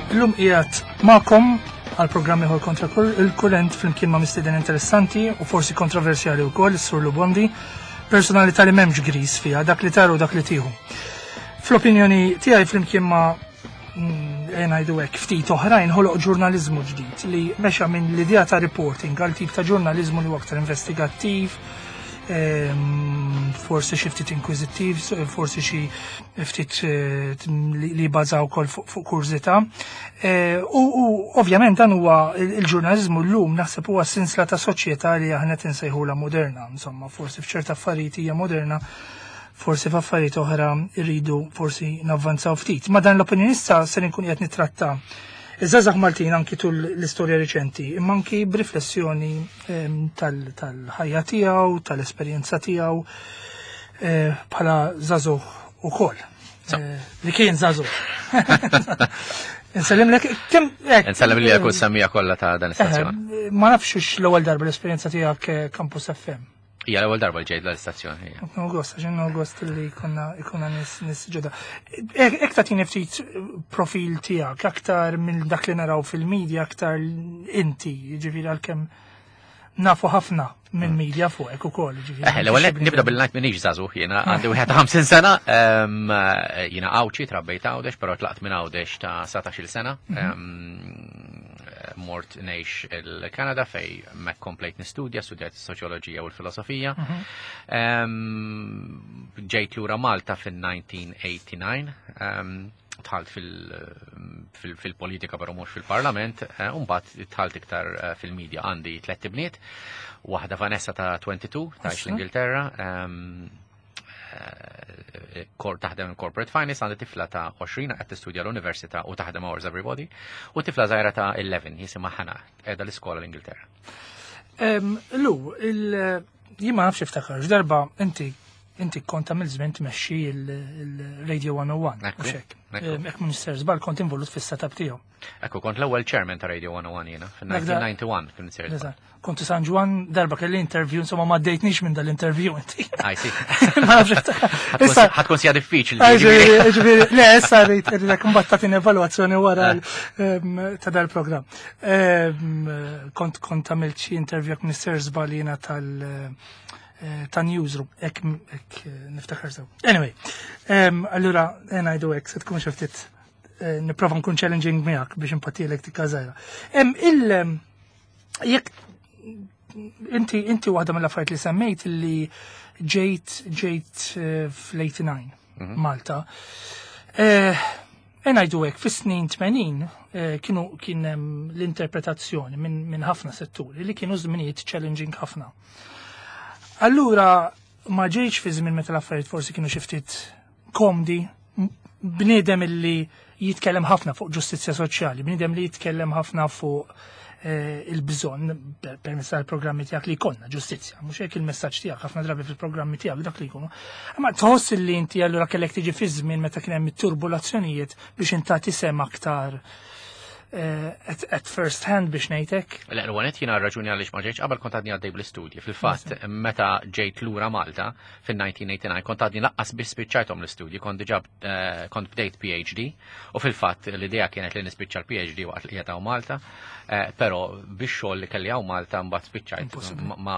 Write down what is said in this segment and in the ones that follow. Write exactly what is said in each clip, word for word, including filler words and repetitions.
Illum qiegħed magħkom għal programm ieħor Kontra il-Kurrent flimkien ma' mistieden interessanti u forsi kontroversjali wkoll, is-Sur Lou Bondi, personalità li m'hemmx gris fiha, dak li tara u dak li tieħu. Fl-opinjoni tiegħi, flimkien ma' mm, ngħidu hekk, ftit oħrajn, ħoloq ġurnaliżmu ġdid li mexa minn l-idea ta' reporting għal tip ta' ġurnaliżmu li huwa aktar investigattiv, ehm, forsi xi ftit inkwiżittiv, forsi xi ftit eh, li jbażaw ukoll fuq kurżità. Eh, u ovvjament dan huwa il-ġurnaliżmu llum, naħseb huwa sinsla ta' soċjetà li aħna tinsejħula moderna, insomma, forsi f'ċerta affarijiet hija moderna, forsi f'affarijiet oħra irridu forsi navvanzaw ftit. Ma dan l-opinjonista se nkun qed nitratta iż-żgħażagħ Maltin anki tul l-istorja riċenti, imma anki b'riflessjoni ehm, tal-ħajja tiegħu, tal-esperjenza tiegħu eh, bħala żagħżugħ ukoll. Eh, li kien żagħżugħ. Nsellimlek, kemm Nsellem li kull semmiegħa kollha ta' dan istazzjon. Ma nafx l-ewwel darba l-esperjenza tiegħek eh, Campus F M. Hija l-ewwel darba li ġejt l-istazzjon. Gost, għaxin gost li konna ikonna nies nies ġodda. Ek tagħtini ftit profil tiegħek, aktar minn dak li naraw fil-medja, aktar inti, ġifieri għalkemm nafu ħafna minn mm. media fuqek ukoll. Eh, l-ewwel nibda bil-ngħid minix żagħżugħ jiena, għandi wieħed ħamsin sena, jiena Għawdxi, trabbejt Għawdex, però tlaqt minn Għawdex ta' satax-il sena. Mhm. Mort ngħix il-Kanada fej mek komplejt nistudja, studjajt soċjoloġija u l-filosofija. Mhm. Ġejt lura Malta fin-elf disa' mija u tmienja u disgħin, dħalt fil-politika però mhux fil-parlament, eh, u mbagħad dħalt iktar eh, fil-medja. Għandi tliet ibniet, waħda Vanessa ta' tnejn u għoxrin, tgħix l-Ingilterra, eh, kor taħdem in corporate finance, għandi tifla ta' għoxrin qed tistudja l-università u taħdem Hours Everybody, u tifla żgħira ta' għaxra, jisimha Ħana, qiegħda l-iskola l-Ingilterra. Lu, jien ma nafx iftakar, darba inti inti kont għamil żmien tmexxi il-Radio mija u wieħed. Ekku, Mhux hekk? Ekku. Hekk Minister żball, kont involut fis-setup tiegħu. Ekku, kont l-ewwel chairman ta' Radio mija u wieħed jiena, fil-elf disa' mija u disgħa u disgħin kien sir. Eżatt. Kontu San Ġwann, darba kelli interview, insomma ma ddejtnix minn dal-interview inti. I see. Ma nafx iftakar. Issa, Ħa tkun sija diffiċli. Ġifieri, ġifieri, le, issa rrid irridek mbagħad tagħtini evalwazzjoni wara l- em, ta' dal-programm. Em, Kont kont għamilt xi interview jekk Mister żball jiena tal eh, ta' newsroom, hekk hekk eh, niftakar sew. Anyway, em, allura eh, ngħidu hekk se tkun xi ftit eh, nipprova nkun challenging miegħek biex impattilek tikka żgħira. Em, Il em, jekk inti inti waħda mill-affarijiet li semmejt li ġejt ġejt eh, fl-tmienja u disgħin Malta. Eh, E ngħidu hekk, fis-snin tmenin eh, kienu kien hemm l-interpretazzjoni minn min ħafna setturi li kienu żminijiet challenging ħafna. Allura ma ġejtx fi żmien meta l-affarijiet forsi kienu xi ftit komdi, m- bniedem illi jitkellem ħafna fuq ġustizzja soċjali, bniedem li jitkellem ħafna fuq eh, il-bżonn per- permezz tal-programmi tiegħek li jkollna ġustizzja, mhux hekk il-messaġġ tiegħek ħafna drabi fil-programmi tiegħek dak li jkunu. Ma tħoss li inti allura kellek tiġi fi żmien meta kien hemm it-turbulazzjonijiet biex intati sem aktar eh, at, at first hand, biex ngħidlek? Le, l-għanet jiena raġuni għaliex ma ġejtx qabel, kont għadni għaddej bl-istudji. Fil-fatt, meta ġejt lura Malta fil-elf disa' mija u tmienja u disgħin, kont għadni lanqas biss spiċċajthom l-istudji, kont diġà eh, kont bdejt P H D u fil-fatt l-idea kienet li nispiċċa l-P H D waqt li qiegħed hawn Malta, eh, però biex xogħol li kelli hawn Malta mbagħad spiċċajt Impossibbli. ma, ma,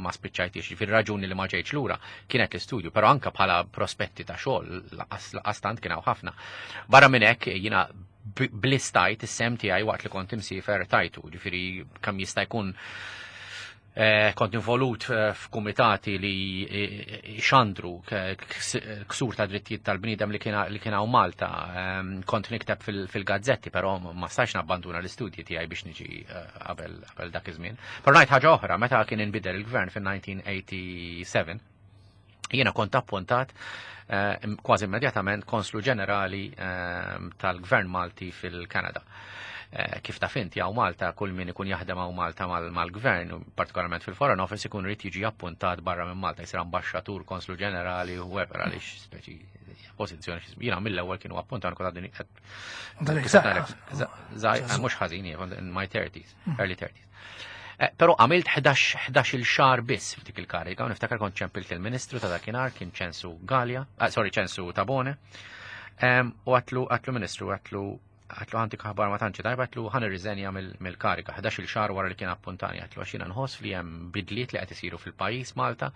ma spiċċajtix. Fil-raġuni li ma ġejtx lura kienet l-istudju, però anka bħala prospetti ta' xogħol lanqas lanqas tant kien hawn ħafna. Barra minn hekk jiena b- blistajt is-sehem tiegħi waqt li kont imsiefer tajtu, ġifieri kemm jista' jkun eh, kont involut eh, f'kumitati li eh, xandru k- ks- ksur ta' drittijiet tal-bniedem li kien li kien hawn Malta. Ehm, Kont nikteb fil- fil-gazzetti, però ma stax nabbanduna l-istudji tiegħi biex niġi eh, qabel qabel dak iż-żmien. Però ngħid ħaġa oħra, meta kien inbidel il-gvern fil-elf disa' mija u sebgħa u tmenin, jiena kont appuntat eh, kważi immedjatament konslu ġenerali eh, tal-Gvern Malti fil-Kanada. Eh, Kif taf inti, hawn Malta kull min ikun jaħdem hawn Malta mal- mal-gvern, u partikolarment fil-Foreign Office, ikun irid jiġi appuntat barra minn Malta, jsir ambaxxatur, konslu ġenerali, whoever, għaliex speċi pożizzjoni. Jiena mill-ewwel kienu appuntat kont għadni Dalek żgħir. żgħir, mhux ħażin, kont in my thirties, early thirties. Eh, Però għamilt ħdax il xahar biss f'dik il-kariga, u niftakar kont ċempilt il-ministru ta' dakinhar, kien Ċensu Galea, ah, sorry, Ċensu Tabone, Em, u għedtlu, għedtlu "Ministru," għedtlu Għedtlu għandi aħbar ma tantx tajba, għedtlu ħa nirriżenja mill-kariga, ħdax-il xahar wara li kien appuntani, għedtlu għax jiena nħoss li hemm bidliet li qed isiru fil-pajjiż Malta,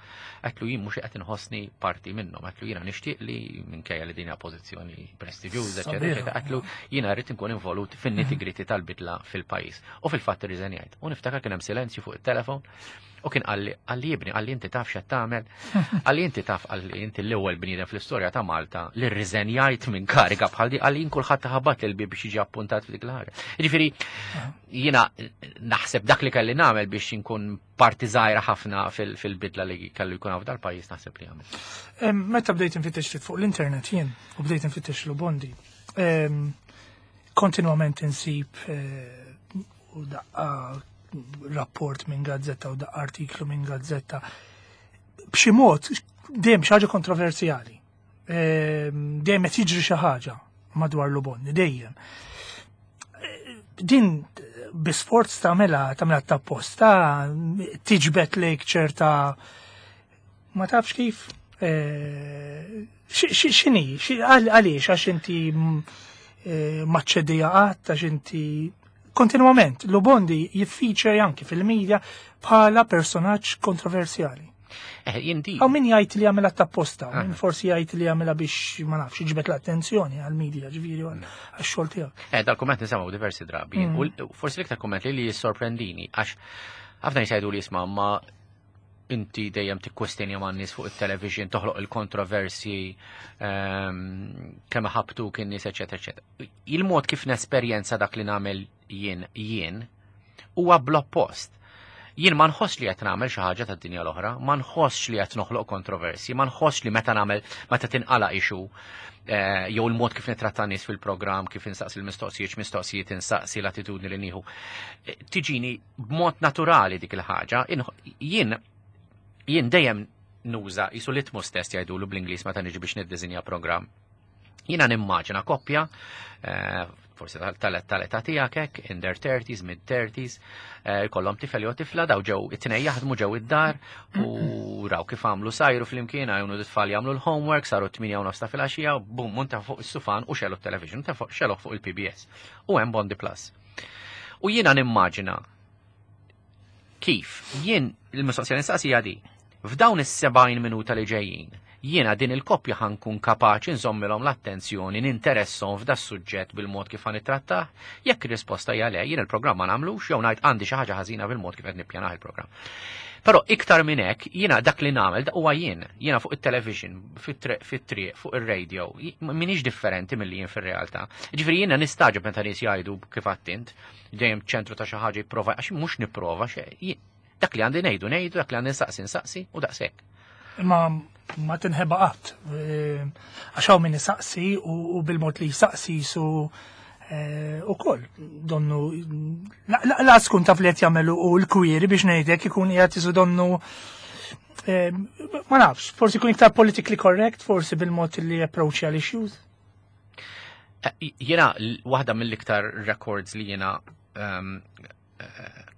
għedtlu jien mhux qed inħossni parti minnhom, għedtlu jiena nixtieq li minkejja li din hija pożizzjoni prestiġjuża, eċetera, għedtlu jiena rrid inkun involut fin-nitty-gritty tal-bidla fil-pajjiż. U fil-fatt irriżenjajt. U niftakar kien hemm silenzju fuq it-telefon u kien qalli, qalli ibni, qalli inti taf x'qed tagħmel, qalli inti taf, qalli inti l-ewwel bniedem fl-istorja ta' Malta li rriżenjajt minn kariga bħal di, qalli jien kulħadd ħabat il-bib biex jiġi appuntat f'dik l-ħaġa. Jiġifieri jiena naħseb dak li kelli nagħmel biex inkun parti żgħira ħafna fil-bidla li kellu jkun hawn dal-pajjiż naħseb li għamel. Meta bdejt infittex fuq l-internet jien u bdejt infittex Lou Bondi, kontinwament insib eh, u daqqa rapport minn gazzetta u daqqa artiklu minn gazzetta. B'xi mod dejjem xi ħaġa kontroversjali. Dejjem qed jiġri xi ħaġa madwar Lou Bondi, dejjem. Din bi sforz tagħmilha tagħmilha ta' posta tiġbed lejk ċerta ma tafx kif x'inhi, għaliex għax inti maċċedija qatt, għax inti kontinuament Lou Bondi jiffeature anki fil-medja bħala personaġġ kontroversjali. Eh, jinti. Hawn min jgħid li għamilha ta' posta, min forsi jgħid li għamilha biex ma nafx jiġbed l-attenzjoni għal-media, ġifieri għax-xogħol tiegħek. Eh, dal-kumment nisimgħu diversi drabi. Mm. U forsi l-iktar kumment li li jissorprendini għax ħafna jgħidu li jisma' ma inti dejjem tikkwestjonja man nies fuq it-television, toħloq il-kontroversi, ehm, kemm ħabtu kien nies, eċetera, eċetera. Il-mod kif nesperjenza dak li nagħmel jien jien huwa bl-oppost. Jien ma nħoss li qed nagħmel xi ħaġa tad-dinja l-oħra, ma nħossx li qed noħloq kontroversi, ma nħossx li meta nagħmel meta tinqala issue eh, jew il-mod kif nitratta nies fil-programm, kif insaqsi l-mistoqsijiet, mistoqsijiet insaqsi l-attitudni li nieħu. Eh, tiġini b'mod naturali dik il-ħaġa. Jien jien dejjem nuża jisu litmus test jgħidulu bl-Ingliż meta niġi biex niddisinja programm. Jiena nimmaġina koppja, eh, forsi tal-età tiegħek hekk, in their thirties, mid-thirties, eh, kollhom tifel jew tifla, daw ġew it-tnejn jaħdmu ġew id-dar u raw kif għamlu sajru flimkien, għajnu t-tfal jagħmlu l-homework, saru tmienja u nofs ta' filgħaxija, bum, munta fuq is-sufan u xegħlu t-television, ta' fuq xegħlu fuq il-P B S. U hemm Bondi Plus. U jiena nimmaġina kif jien il-mistoqsija nistaqsija di, f'dawn is-sebgħin minuta li ġejjin, jiena din il-koppja ħa nkun kapaċi nżommilhom l-attenzjoni, ninteressahom f'da suġġett bil-mod kif ħa nittrattah? Jekk ir-risposta hija le, jien il-programm ma nagħmlux jew ngħid għandi xi ħaġa ħażina bil-mod kif qed nippjanah il-programm. Però iktar minn hekk, jiena dak li nagħmel dak huwa jien, jiena fuq it-television, fit-triq, fuq ir-radio, m'iniex differenti milli jien fir-realtà. Ġifieri jiena nistagħġeb meta nies jgħidu kif għedt int, dejjem ċentru ta' xi ħaġa jipprova, għax mhux nipprova xejn. Dak li għandi ngħidu ngħidu, dak li għandi nsaqsi nsaqsi u daqshekk. Imma ma tinħeba qatt. Eh, għax hawn min isaqsi u bil-mod li jsaqsi su eh, u koll. Donnu, la skun taf li qed jagħmelu u l-kwiri biex ngħidlek ikun qiegħed isu donnu eh, ma nafx, forsi ikun iktar politically correct, forsi bil-mod li approach l-issues. Jiena, waħda mill-iktar records li jiena ehm,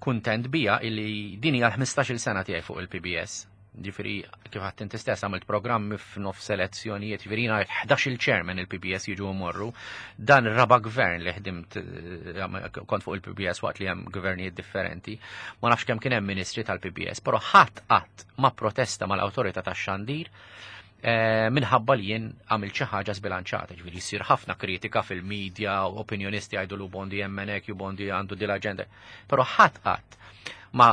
kuntent bija illi din hija l-ħmistax-il sena tiegħi fuq il-P B S. Ġifieri, kif għedt inti stess għamilt programmi f'nof selezzjonijiet, ġifieri jiena ħdax il-chairman il-P B S jiġu morru. Dan ir-raba' gvern li ħdimt eh, kont fuq il-P B S waqt li hemm gvernijiet differenti. Ma nafx kemm kien hemm ministri tal-P B S, però ħadd qatt ma protesta mal-awtorità tax-xandir eh, minħabba li jien għamil xi ħaġa sbilanċata, ġifieri jsir ħafna kritika fil-medja u opinjonisti jgħidu Lou Bondi hemmhekk, Lou Bondi għandu dil-aġenda. Però ħadd qatt ma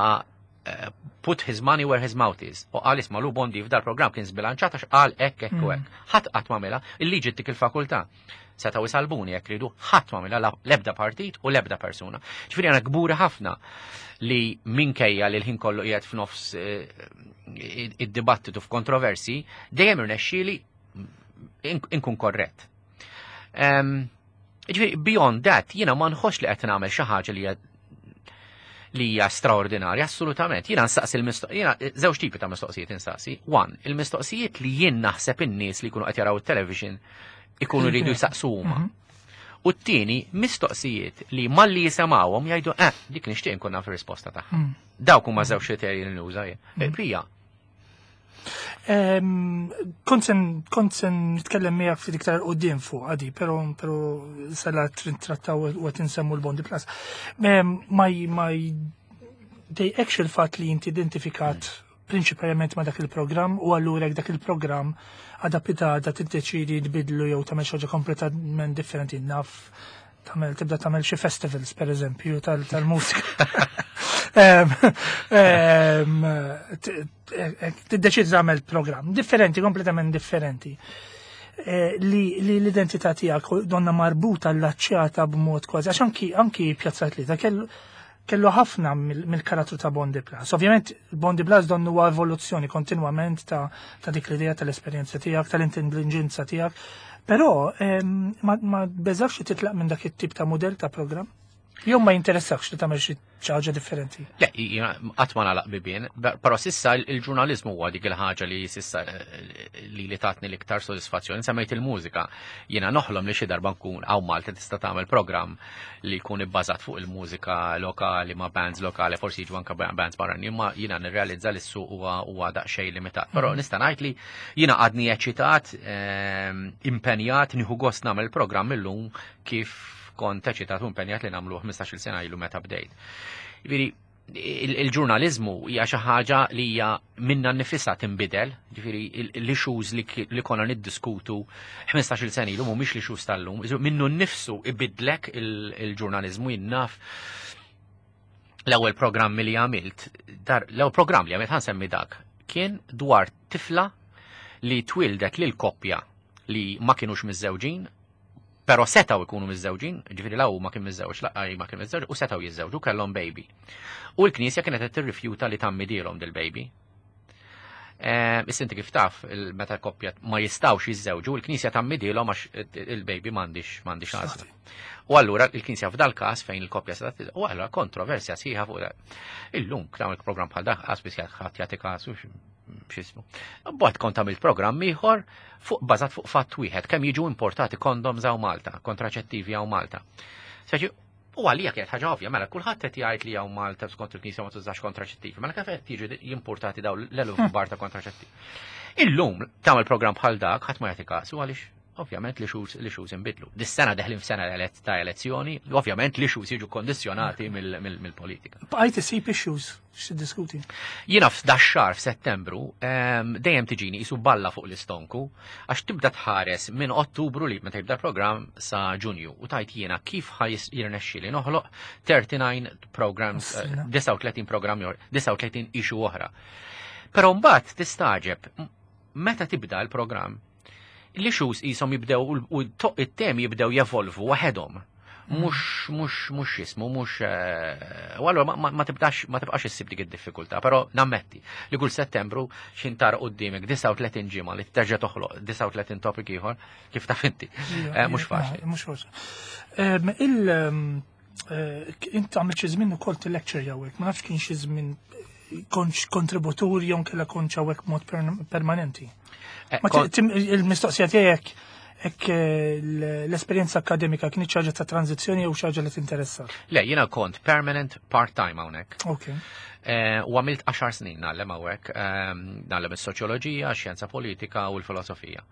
eh, put his money where his mouth is. U qal isma' Lou Bondi f'dal program kien sbilanċat għax qal hekk hekk u hekk. Ħadd qatt m'għamilha, il-liġi tik il-fakultà. Setgħu jsalbuni jekk ridu, ħadd m'għamilha l-ebda partit u l-ebda persuna. Ġifieri għana kburi ħafna li minkejja li l-ħin kollu qiegħed f'nofs eh, id-dibattitu f'kontroversi, dejjem irnexxieli inkun korrett. Ġifieri beyond that, jiena ma nħoss li qed nagħmel xi ħaġa li li hija straordinarja, assolutament. Jiena nsaqsi il-mistoqsijiet, jiena żewġ tipi ta' mistoqsijiet insaqsi. One, il-mistoqsijiet li jien naħseb in-nies li jkunu qed jaraw it-television ikunu rridu jsaqsu huma. Mhm. U t-tieni mistoqsijiet li malli jisimgħuhom jgħidu eh, dik nixtieq nkun naf ir-risposta tagħha. Mm. Dawk huma żewġ kriterji li nuża jien. Mm. Pija. Kont se nitkellem miegħek ftit iktar quddiem fuq għadi, però però sala trattaw u qed insemmu l-Bondi Plus. Ma ma jdejqekx il-fatt li inti identifikat prinċipalment ma dak il-programm u allura dak il-programm għada pitgħada tiddeċidi tbidlu jew tagħmel xi ħaġa kompletament differenti, naf tagħmel tibda tagħmel xi festivals, per eżempju, tal-mużika. Tiddeċidi tagħmel programm differenti, kompletament differenti. Eh, li l-identità tiegħek donna marbuta allaċċjata b'mod kważi, għax anki anki Pjazza Tlieta kellu kellu ħafna mill-karattru ta' Bondi Plus. Ovvjament, Bondi Plus donnu huwa evoluzzjoni kontinwament ta', ta dik l-idea tal-esperjenza tiegħek, tal-intelligenza tiegħek. Però ma, ma beżax li titlaq minn dak it-tip ta' modell ta' programm? Jew ma jinteressakx li tagħmel xi ħaġa differenti? Le, qatt ma nagħlaq bibien, però s'issa il-ġurnaliżmu huwa dik il-ħaġa li s'issa eh, li li tatni l-iktar sodisfazzjoni. Semmejt il-mużika. Jiena noħlom li xi darba nkun hawn Malta tista' tagħmel programm li jkun ibbażat fuq il-mużika lokali ma' bands lokali, forsi jiġu anke bands barranin, imma jiena nirrealizza li s-suq huwa huwa daqsxejn limitat. Però mhm. nista' ngħid li jiena għadni eċitat, ehm, impenjat, nieħu gost nagħmel programm illum kif kont eċitat u impenjat li nagħmlu ħmistax-il sena ilu meta bdejt. Ġifieri il-ġurnaliżmu hija xi ħaġa li hija minna nnifisha tinbidel, ġifieri l-issues li konna niddiskutu ħmistax-il sena ilu mhumiex l-issues tal-lum, minnu nnifsu ibidlek il-ġurnaliżmu. Jien naf l-ewwel programm li għamilt, l-ewwel programm li għamilt, ħa nsemmi dak, kien dwar tifla li twildet lil koppja li ma kienux miżżewġin, pero setaw ikunu miżżewġin, ġifieri la ma kien miżżewġ, la ma kien miżżewġ, u setaw jiżżewġu, kellhom baby. U l-Knisja kienet qed tirrifjuta li tgħammidilhom dil-baby. Eh, issa inti kif taf, meta koppja ma jistawx jiżżewġu, il-Knisja tgħammidilhom għax il-baby m'għandix m'għandix għażla. U allura il-Knisja f'dal każ fejn il-koppja se, u allura kontroversja sħiħa fuq dak. Illum tagħmel programm bħal dak qas biss ħadd jagħti kasu x'ismu. Bad kont għamilt programm ieħor fuq bażat fuq fatt wieħed, kemm jiġu importati kondoms hawn Malta, kontraċettivi hawn Malta. Speċi, u għalija kienet ħaġa ovvja, mela kulħadd qed jgħid li hawn Malta skont il-Knisja ma tużax kontraċettivi, mela kif qed jiġu jimportati daw l-eluf kbar ta' kontraċettivi? Illum tagħmel programm bħal dak ħadd ma jagħti kasu għaliex ovvjament l-issues l-issues inbidlu. Dis-sena deħlin f'sena ta' elezzjoni, ovvjament l-issues jiġu kondizjonati mill-politika. Bqajt isib issues x'tiddiskuti? Jiena f'dax-xahar f'Settembru dejjem tiġini qisu balla fuq l-istonku għax tibda tħares minn Ottubru li meta jibda programm sa Ġunju u tgħid jiena kif ħa jirnexxieli noħloq thirty-nine programs, disgħa u tletin programm, disgħa u tletin issue oħra. Però mbagħad tistaġeb meta tibda l-programm l-issues qishom jibdew u it-temi jibdew jevolvu waħedhom. Mhux, mhux, mhux jismu, mhux, u allura ma tibdax, ma tibqax issib dik id-diffikultà, però nammetti li kull Settembru xin tara quddiemek disgħa u tletin ġimgħa li terġa' toħloq disgħa u tletin topic ieħor, kif taf inti. Mhux faċli. Mhux faċli. Il int għamilt xi żmien ukoll til-lecture hawnhekk, ma nafx kien xi żmien kontx kontributur jew kella kontx hawnhekk mod permanenti. Il-mistoqsija tiegħek hekk l-esperjenza akademika kien ħaġa ta' tranzizzjoni jew xi ħaġa li tinteressa? Le, jiena kont permanent part-time hawnhekk. Ok. U għamilt għaxar snin ngħallem hawnhekk, ngħallem is-soċjoloġija, xjenza politika u l-filosofija.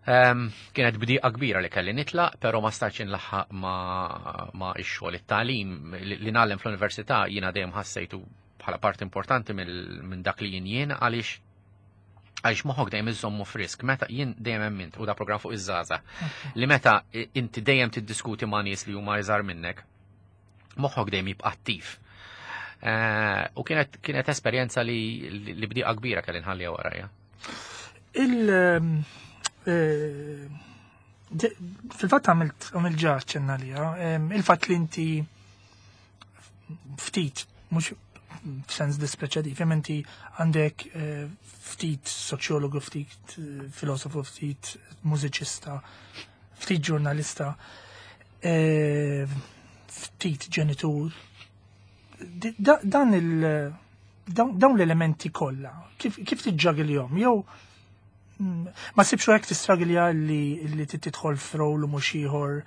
Kienet bdiqa kbira li kelli nitlaq, pero ma stajtx inlaħħaq ma, ma ix-xogħol, it-tagħlim li ngħallem fl-università jiena dejjem ħassejtu bħala part importanti minn dak li jien jien għaliex għaliex moħħok dejjem iżommu frisk, meta jien dejjem emmint, u da programm fuq iż-żgħażagħ, li meta inti dejjem tiddiskuti ma' nies li huma iżgħar minnek, moħħok dejjem jibqa' attiv. Eh, u kienet kienet esperjenza li li bdiqa kbira kelli nħalliha warajja. Il eh, fil-fatt għamilt għamilt ġa ċenna lija, il-fatt li inti ftit, mhux f'sens dispreċativ, inti għandek eh, ftit soċjologu, ftit eh, filosofu, ftit mużiċista, ftit ġurnalista, eh, ftit ġenitur. Dan il dawn l-elementi kollha, kif, kif tiġġagiljhom? Jew Ma ssibx hekk tistragilja li li tidħol f'rol u mhux ieħor.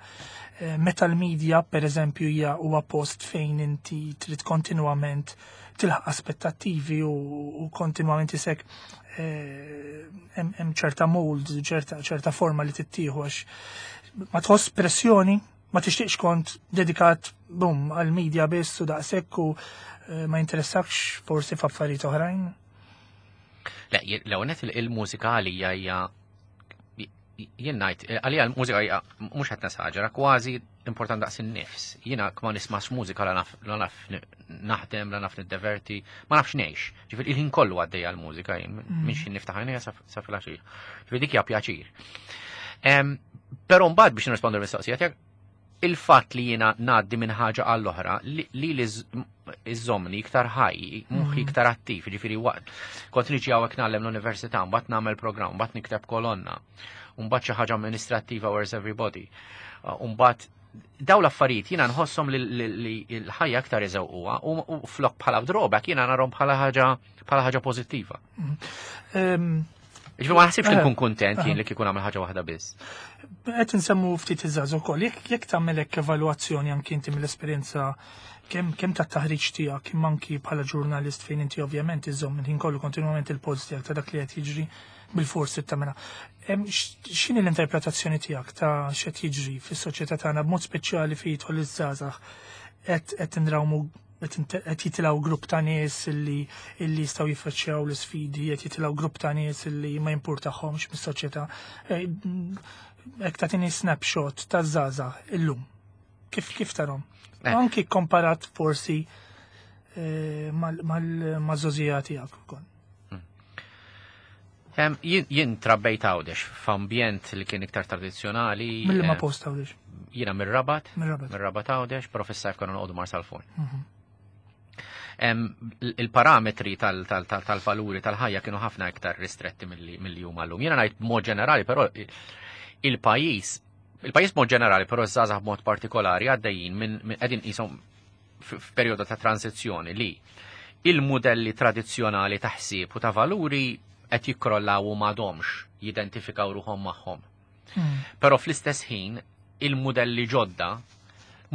Eh, meta l-media, per eżempju, hija huwa post fejn inti trid kontinwament tilħaq aspettattivi u, u kontinwament isek eh, hemm ċerta mold, ċerta ċerta forma li tittieħu, għax ma tħoss pressjoni, ma tixtieqx kont dedikat bum għal-media biss u daqshekk u eh, ma jinteressakx forsi f'affarijiet oħrajn? Le, l-ewwel il-mużika għalija hija, jien ngħid, għalija l-mużika hija, mhux qed nesaġera, kważi important daqs in-nifs. Jiena ma nismax mużika la naf la naf naħdem, la naf niddeverti, ma nafx ngħix. Ġifieri il-ħin kollu għaddejja l-mużika jien, minn x'ħin niftaħ għajnejja sa filgħaxija. Ġifieri dik hija pjaċir. Però mbagħad biex nirrispondu l-mistoqsija tiegħek, il-fatt li jiena ngħaddi minn ħaġa għall-oħra li li iżomni iktar ħaj, moħħi iktar attiv, ġifieri waqt kont niġi hawnhekk ngħallem l-università, mbagħad nagħmel programm, mbagħad nikteb kolonna, mbagħad xi ħaġa amministrattiva, where's everybody. Mbagħad daw l-affarijiet jiena nħosshom li l-ħajja aktar iżewquha u flok bħala drawback jiena narhom bħala ħaġa bħala ħaġa pożittiva. Ġifieri ma naħsibx li nkun kuntent jien li kieku nagħmel ħaġa waħda biss. Qed insemmu ftit iż-żgħażagħ ukoll, jekk jekk tagħmel hekk evalwazzjoni anki inti mill-esperjenza kemm kemm tat-taħriġ tiegħek imma anki bħala ġurnalist, fejn inti ovvjament iżomm il-ħin kollu kontinwament il-post tiegħek ta' dak li qed jiġri, bil-forsi tagħmilha. X'inhi l-interpretazzjoni tiegħek ta' x'qed jiġri fis-soċjetà tagħna, b'mod speċjali fejn jidħol iż-żgħażagħ? qed qed indrawmu, qed jitilgħu grupp ta' nies illi illi jistgħu jiffaċċjaw l-isfidi, qed jitilgħu grupp ta' nies illi ma jimpurtahomx mis-soċjetà. Hekk tagħtini snapshot ta' żgħażagħ illum. Kif kif tarhom? Eh. Anki komparat forsi eh, mal-żgħożija tiegħek ukoll. Hmm. Jien trabbejt Għawdex f'ambjent li kien iktar tradizzjonali. Mill ma post Għawdex? Jiena mir-Rabat, mir-Rabat Għawdex, però fis-sajf konna noqogħdu Marsalforn. Mhm. Il-parametri tal-valuri tal-ħajja kienu ħafna iktar ristretti milli huma llum. Jiena ngħid b'mod ġenerali, però il-pajjiż il-pajjiż mod ġenerali, però żgħażagħ b'mod partikolari għaddejjin minn qegħdin qishom f'perjodu ta' tranzizzjoni li il-modelli tradizzjonali ta' ħsieb u ta' valuri qed jikkrollaw u m'għadhomx jidentifikaw ruħhom magħhom. Hmm. Però fl-istess ħin il-modelli ġodda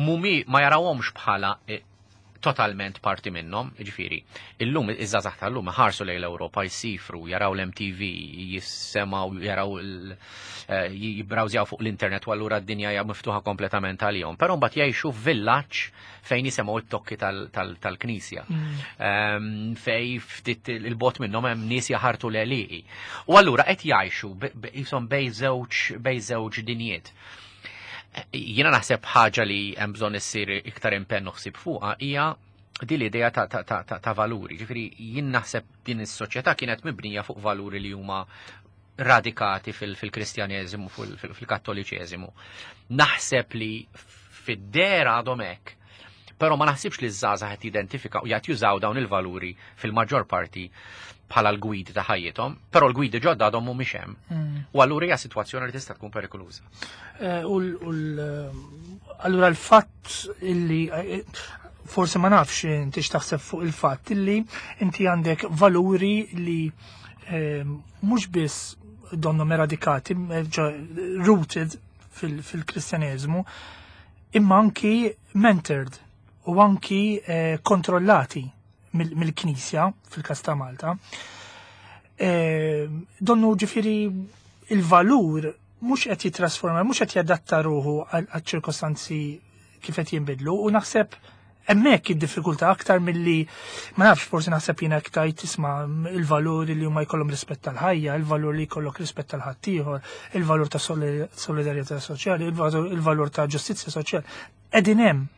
mumi ma jarawhomx bħala eh, totalment parti minnhom, ġifieri. Illum iż-żgħażagħ tal-lum ħarsu lejn l-Ewropa, jsifru, jaraw l-M T V, jissemgħu, jaraw eh, jibbrawżjaw fuq l-internet u allura d-dinja hija miftuħa kompletament għalihom. Però mbagħad jgħixu f'villaġġ fejn jisemgħu it-tokki tal-knisja. Mm. Ehm, fej ftit il-bogħod minnhom hemm nies jaħartu l-għelieqi. U allura qed jgħixu jisom bej żewġ bej żewġ dinjiet. Jiena naħseb ħaġa li hemm bżonn issir iktar impenn u ħsieb fuqha hija din l-idea ta', ta, ta, ta, ta valuri. Ġifieri jien naħseb din is-soċjetà kienet mibnija fuq valuri li huma radikati fil-Kristjaneżimu, fil-Kattoliċeżimu. Naħseb li fid-dera għadhom hekk, però ma naħsibx li ż-żgħażagħ qed jidentifika u jgħid jużaw dawn il-valuri fil-maġġor parti bħala l-gwidi ta' ħajjithom, però l-gwidi ġodda għadhom mhumiex hemm. Mm. U allura hija sitwazzjoni li tista' tkun perikoluża. Eh, u allura l-fatt illi eh, forsi ma nafx inti x'taħseb fuq il-fatt illi inti għandek valuri li eh, mhux biss donhom eradikati, rooted fil-Kristjaneżmu, imma anki mentored u anki kontrollati mill-Knisja fil-kas ta' Malta. Donnu ġifieri il-valur mhux qed jitrasforma, mhux qed jadatta ruħu għal-ċirkostanzi kif qed jinbidlu u naħseb hemmhekk id-diffikultà aktar milli, ma nafx, forsi naħseb jiena tajt tisma' il-valur li huma jkollhom rispett tal-ħajja, il-valur li jkollok rispett tal-ħaddieħor, il-valur ta' solidarjetà soċjali, il-valur ta' ġustizzja soċjali. Qegħdin hemm.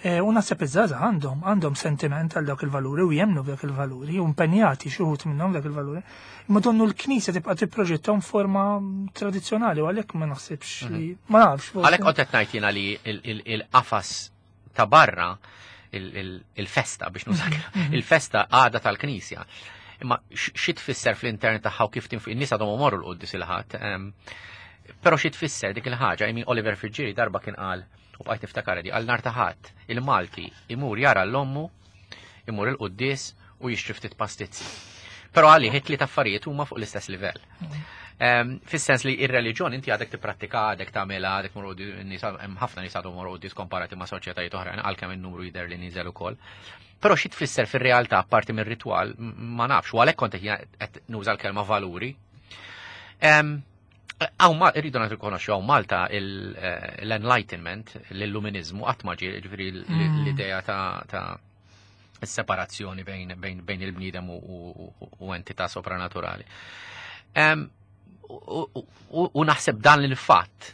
E, u naħseb iż-żgħażagħ għandhom għandhom sentiment għal dawk il-valuri u jemnu f'dawk il-valuri u impenjati xi wħud minnhom dak il-valuri. Imma donnu l-Knisja tibqa' tipproġettom forma tradizzjonali u għalhekk ma naħsibx li, ma nafx. Għalhekk qed ngħid jiena li il-qafas ta' barra, il-festa biex nużak, il-festa għada tal-Knisja. Imma xi tfisser fl-intern tagħha u kif tinfu in-nies għadhom imorru l-quddies il-Ħadd. Però xi tfisser dik il-ħaġa, I Oliver Friggieri darba kien qal u bqajt niftakar di, għal nar ta' Ħadd il-Malti imur jara l-ommu, imur il-quddies u jixtri ftit pastizzi. Però għalih it-tliet affarijiet huma fuq l-istess livell. Fis-sens li ir-reliġjon inti għadek tipprattika, għadek tagħmilha, għadek mur, hemm ħafna nies għadhom imorru quddies komparati ma' soċjetajiet oħrajn, għalkemm in-numru jidher li niżel ukoll. Però xi tfisser fir-realtà apparti mir-ritwal ma nafx, u għalhekk kont qed nuża l-kelma valuri. Hawn ma irridu nirrikonoxxu, hawn Malta l-enlightenment, l-illuminizmu qatt ma ġie, ġifieri l-idea ta' separazzjoni bejn, bejn, bejn il-bniedem u entità sopranaturali. U naħseb dan il-fatt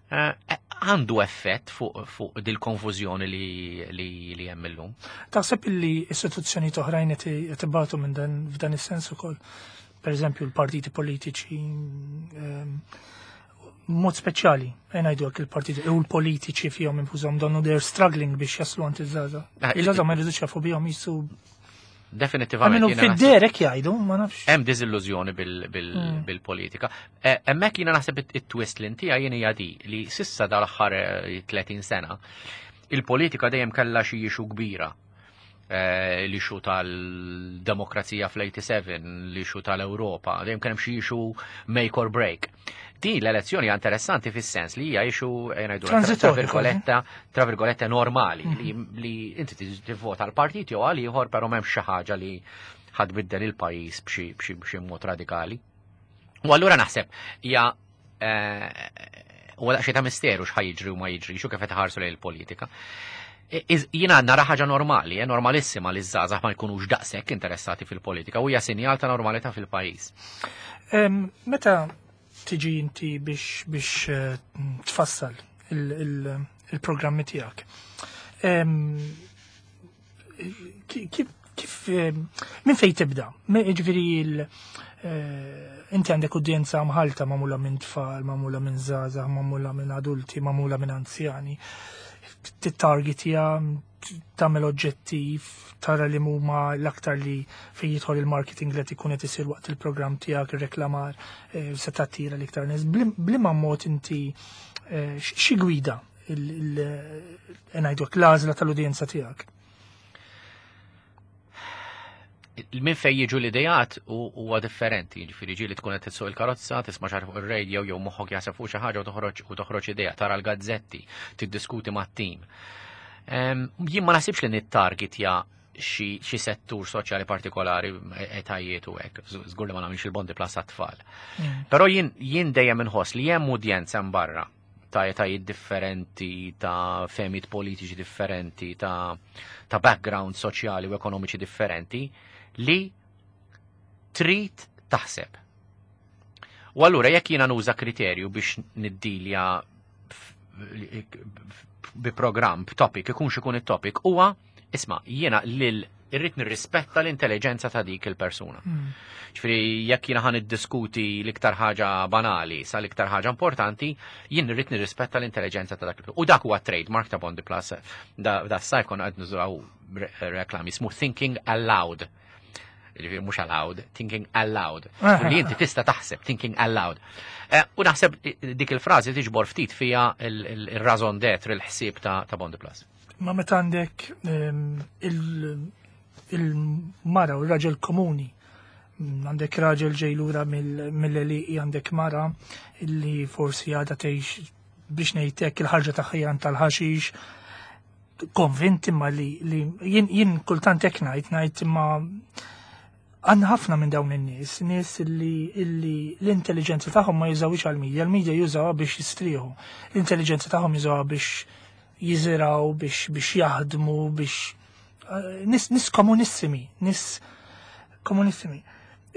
għandu effett fuq fu dil-konfużjoni li, li, li hemm illum. Taħseb li istituzzjoni oħrajn qed ibatu minn dan f'dan is-sens ukoll? Per eżempju l-partiti politiċi, mod speċjali, ngħidu hekk, il-partiti u l-politiċi fihom infushom donnu they're struggling biex jaslu għand iż-żgħażagħ. Il-żgħażagħ ma jridux jafu bihom jisu. Definitivament. Għaminu fid-derek jgħidu, ma nafx. Hemm diżillużjoni bil-politika. Hemmhekk jiena naħseb it-twist li intija jien hija di li s'issa dal-aħħar tletin sena il-politika dejjem kellha xi issue kbira. L-issue tal-demokrazija fl-sebgħa u tmenin, l-issue tal-Ewropa, dejjem kien hemm xi issue make or break. Din l-elezzjoni interessanti fis-sens li hija issue, ngħidu, tra virgoletta, tra virgolette normali, li, li inti tivvota l-partit jew għal ieħor, però m'hemmx xi ħaġa li ħa tbiddel il-pajjiż b'xi mod radikali. U allura naħseb hija u daqsxejn ta' misteru x'ħa jiġri u ma jiġri, xu kif qed ħarsu lejn il-politika. Jiena nara ħaġa normali, eh, normalissima li żgħażagħ ma jkunux daqshekk interessati fil-politika u hija sinjal ta' normalità fil-pajjiż. Meta tiġi inti biex biex tfassal il-programmi tiegħek, Kif kif minn fejn tibda? Ġifieri inti għandek udjenza mħalta, magħmula minn tfal, magħmula minn żgħażagħ, magħmula minn adulti, magħmula minn anzjani. Tittargetja, tagħmel oġġettiv, tara li huma l-aktar li fejn jidħol il-marketing li qed ikun qed isir waqt il-programm tiegħek, ir-reklamar, se tattira l-iktar nies. B'liema mod inti, xi gwida ngħidu l-għażla tal-udjenza tiegħek? Minn fejn jiġu l-idejat huwa differenti, ġifieri ġieli tkun qed tissuq il-karozza, tisma' xi fuq ir-radio jew moħħok jaħseb fuq xi ħaġa u toħroġ u toħroġ idea, tara l-gazzetti, tiddiskuti mat-tim. Jien ma naħsibx li nittargetja xi settur soċjali partikolari, etajiet u hekk, żgur li ma nagħmilx il-Bondi Plus għat-tfal. Però jien jien dejjem inħoss li hemm udjenza barra ta' etajiet differenti, ta' fehmiet politiċi differenti, ta' ta' background soċjali u ekonomiċi differenti li trid taħseb. U allura jekk jiena nuża kriterju biex niddilja bi programm, b'topic, ikunx ikun it-topic, huwa isma', jiena lil irrid nirrispetta l-intelligenza ta' dik il-persuna. Ġifieri jekk jiena ħa niddiskuti l-iktar ħaġa banali sa l-iktar ħaġa importanti, jien irrid nirrispetta l-intelligenza ta' dak il. U dak huwa trademark ta' Bondi Plus, da, da s-sajf konna qed nużaw reklami ismu "Thinking Aloud". Ġifieri mhux allowed, thinking aloud. Li inti tista' taħseb, thinking aloud. U naħseb dik il-frażi tiġbor ftit fija il-raison d'être, il-ħsieb ta' Bondi Plus. Ma meta għandek il-mara u r-raġel komuni, għandek raġel ġej lura mill-li għandek mara illi forsi għadha tgħix, biex ngħidlek, il-ħarġa ta' tal-ħaxix, konvinti ma li jien jien kultant hekk ngħid ngħid imma għandna ħafna minn dawn in-nies, nies illi illi l-intelligenza tagħhom ma jużawx għal-medja, l-medja jużawha biex jistrieħu. L-intelligenza tagħhom jużawha biex jiżiraw, biex biex jaħdmu, biex nies nies komunissimi, nies komunissimi.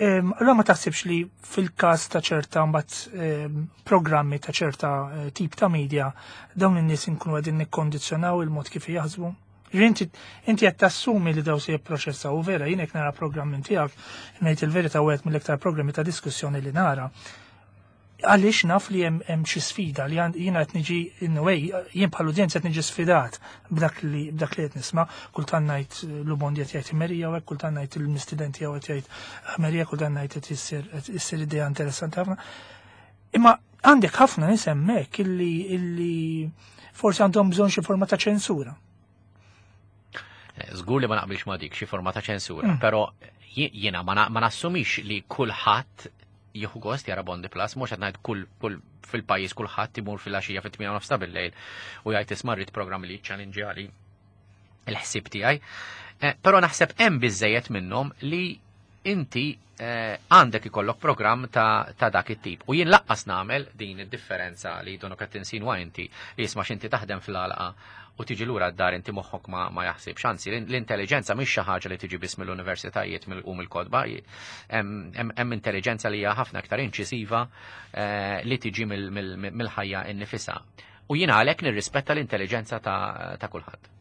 Allora ma taħsibx li fil-każ ta' ċerta mbagħad programmi ta' ċerta tip ta' media dawn in-nies inkunu qegħdin nikkondizzjonaw il-mod kif jaħsbu? Inti inti qed tassumi li daw se jipproċessaw u vera jien hekk nara programm minn tiegħek, ngħid il-verità, wieħed mill-iktar programmi ta' diskussjoni li nara. Għaliex naf li hemm xi sfida li jiena qed niġi, in a way, jien bħal udjenza qed niġi sfidat b'dak li b'dak li qed nisma', kultant ngħid l-Bondi qed jgħid Merija u hekk, kultant ngħid il-mistident tiegħu qed jgħid Merija, kultant ngħid qed issir issir idea interessanti ħafna. Imma għandek ħafna nies hemmhekk illi illi forsi għandhom bżonn xi forma ta' ċensura. Żgur li ma naqbilx ma dik xi forma ta' ċensura, però jiena ma nassumix li kulħadd jieħu gost jara Bondi Plus, mhux qed ngħid kull kull fil-pajjiż kulħadd imur fil-għaxija fit-tmienja nofs ta' bil-lejl u jgħid isma' rrid programm li jiċċallenġjali il-ħsieb tiegħi. Eh, però naħseb hemm biżejjed minnhom li inti eh, għandek ikollok programm ta', ta dak it-tip. U jien lanqas nagħmel din id-differenza li donok qed tinsinwa inti li jisma' x'inti taħdem fl-għalqa u tiġi lura d-dar inti moħħok ma, ma jaħsibx. Anzi, l-intelligenza mhix xi ħaġa li tiġi biss mill-universitajiet u mill-kotba, hemm intelligenza li hija ħafna aktar inċisiva eh, li tiġi mill-ħajja innifisha. U jiena għalhekk nirrispetta l-intelligenza ta', ta' kulħadd.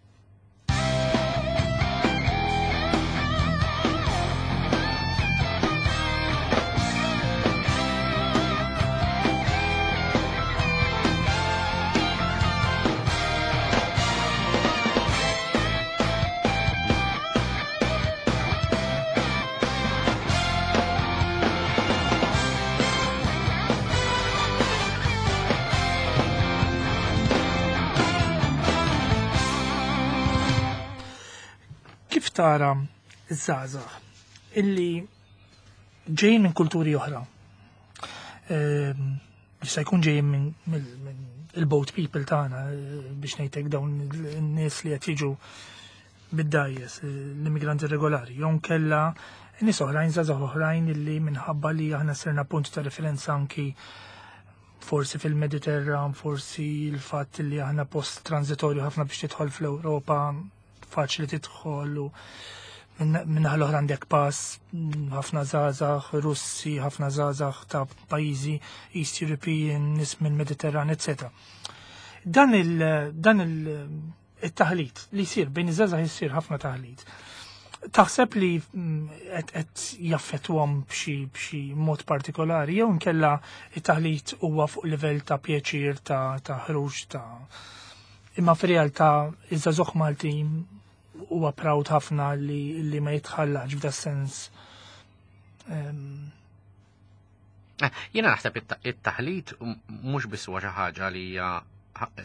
Kif tara iż-żgħażagħ illi ġejjin minn kulturi oħra? Jista' jkun ġejjin minn il-boat people tagħna, biex ngħidlek dawn in-nies li qed jiġu bid-dgħajjes, l-immigranti regolari, jew kella nies oħrajn, żgħażagħ oħrajn illi minħabba li aħna sirna punt ta' referenza anki forsi fil-Mediterran, forsi l-fatt li aħna post transitorju ħafna biex tidħol fl-Ewropa, faċli tidħol u minnaħa l-oħra għandek pass ħafna żgħażagħ Russi, ħafna żgħażagħ ta' pajjiżi East European, nies minn Mediterran, eċċetera. Dan il dan il-taħlit li jsir bejn iż-żgħażagħ jsir ħafna taħlit. Taħseb li qed jaffettwahom b'xi b'xi mod partikolari jew inkella it-taħlit huwa fuq livell ta' pjaċir ta' ta' ħruġ ta' imma fir-realtà iż-żagħżugħ Malti huwa proud ħafna li, li ma jitħallax f'da sens. Um... Jiena naħseb it-taħlit mhux biss huwa xi ħaġa li hija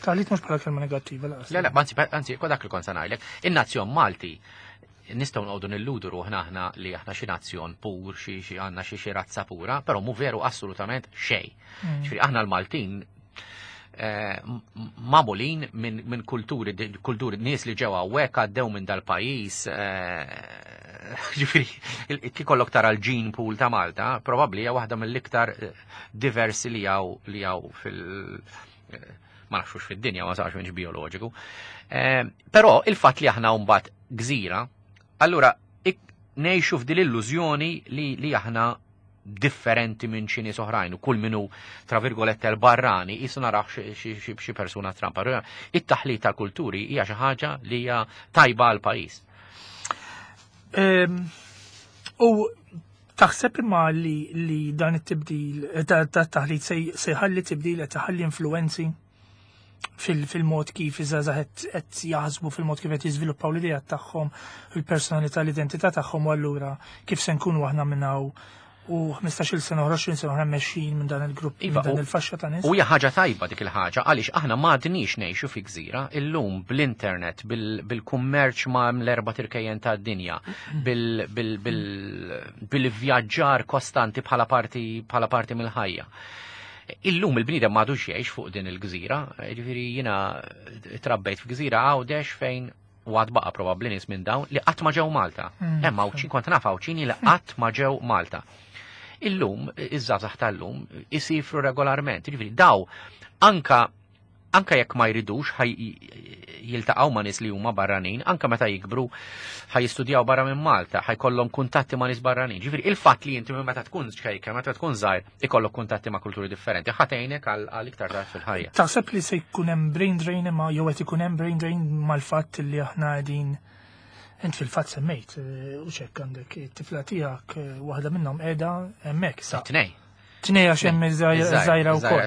taħlit mhux bħala kelma negattiva lanqas. Le, le, anzi, anzi, dak li kont se ngħidlek. In-nazzjon Malti nistgħu noqogħdu nilludu ruħna aħna li aħna xi nazzjon pur, xi xi għandna xi xi razza pura, però mhu veru assolutament xejn. Ġifieri aħna l-Maltin magħmulin minn min kulturi, kulturi nies li ġew hawnhekk għaddew minn dal-pajjiż, ġifieri kikollok tara l-gene pool ta' Malta, probabbli hija waħda mill-iktar diversi li hawn li hawn fil ma nafxux fid-dinja, ma sarx minx bioloġiku. Però il-fatt li aħna mbagħad gżira, allura ngħixu f'din l-illużjoni li, li aħna differenti minn xi nies oħrajn u kull minu tra virgolette l-barrani jisu narax xi persuna trampa. It-taħlit tal-kulturi hija xi ħaġa li hija tajba għal pajjiż. U taħseb imma li, li dan it-tibdil ta' taħlit se jħalli tibdil qed iħalli influenzi fil-mod kif iż-żgħażagħ qed jaħsbu, fil-mod kif qed jiżviluppaw l-idea tagħhom, il-personalità, l-identità tagħhom, u allura kif se nkunu aħna minn hawn u ħmistax-il sena oħra, għoxrin sena oħra mexjin minn dan il-grupp, minn dan il-faxxa ta' nies. U hija ħaġa tajba dik il-ħaġa għaliex aħna m'għadniex ngħixu fi gżira illum bl-internet, bil-kummerċ ma' l-erba' tirkejjen tad-dinja, bil-vjaġġar kostanti bħala parti bħala parti mill-ħajja. Illum il-bniedem m'għadux jgħix fuq din il-gżira, ġifieri jiena trabbejt f'gżira Għawdex fejn u għad baqa probabbli nies minn dawn li qatt ma ġew Malta. Hemm Għawdxin, kont naf Għawdxini li qatt ma ġew Malta. Illum, iż-żgħażagħ tal-lum, isifru regolarment. Ġifieri daw anka anka jekk ma jridux ħaj jiltaqgħu ma' nies li huma barranin, anka meta jikbru ħaj jistudjaw barra minn Malta, ħajkollhom kuntatti ma' nies barranin. Ġifieri il-fatt li inti meta tkun ċkejka, meta tkun żgħir, ikollok kuntatti ma' kulturi differenti, ħatejnek għal iktar tard fil-ħajja. Taħseb li se jkun hemm brain drain imma jew qed ikun hemm brain drain mal-fatt li aħna qegħdin int fil-fatt semmejt u ċekk għandek it-tifla tiegħek waħda minnhom qiegħda hemmhekk sa. Tnej. Tnej għax hemm iż-żgħira wkoll.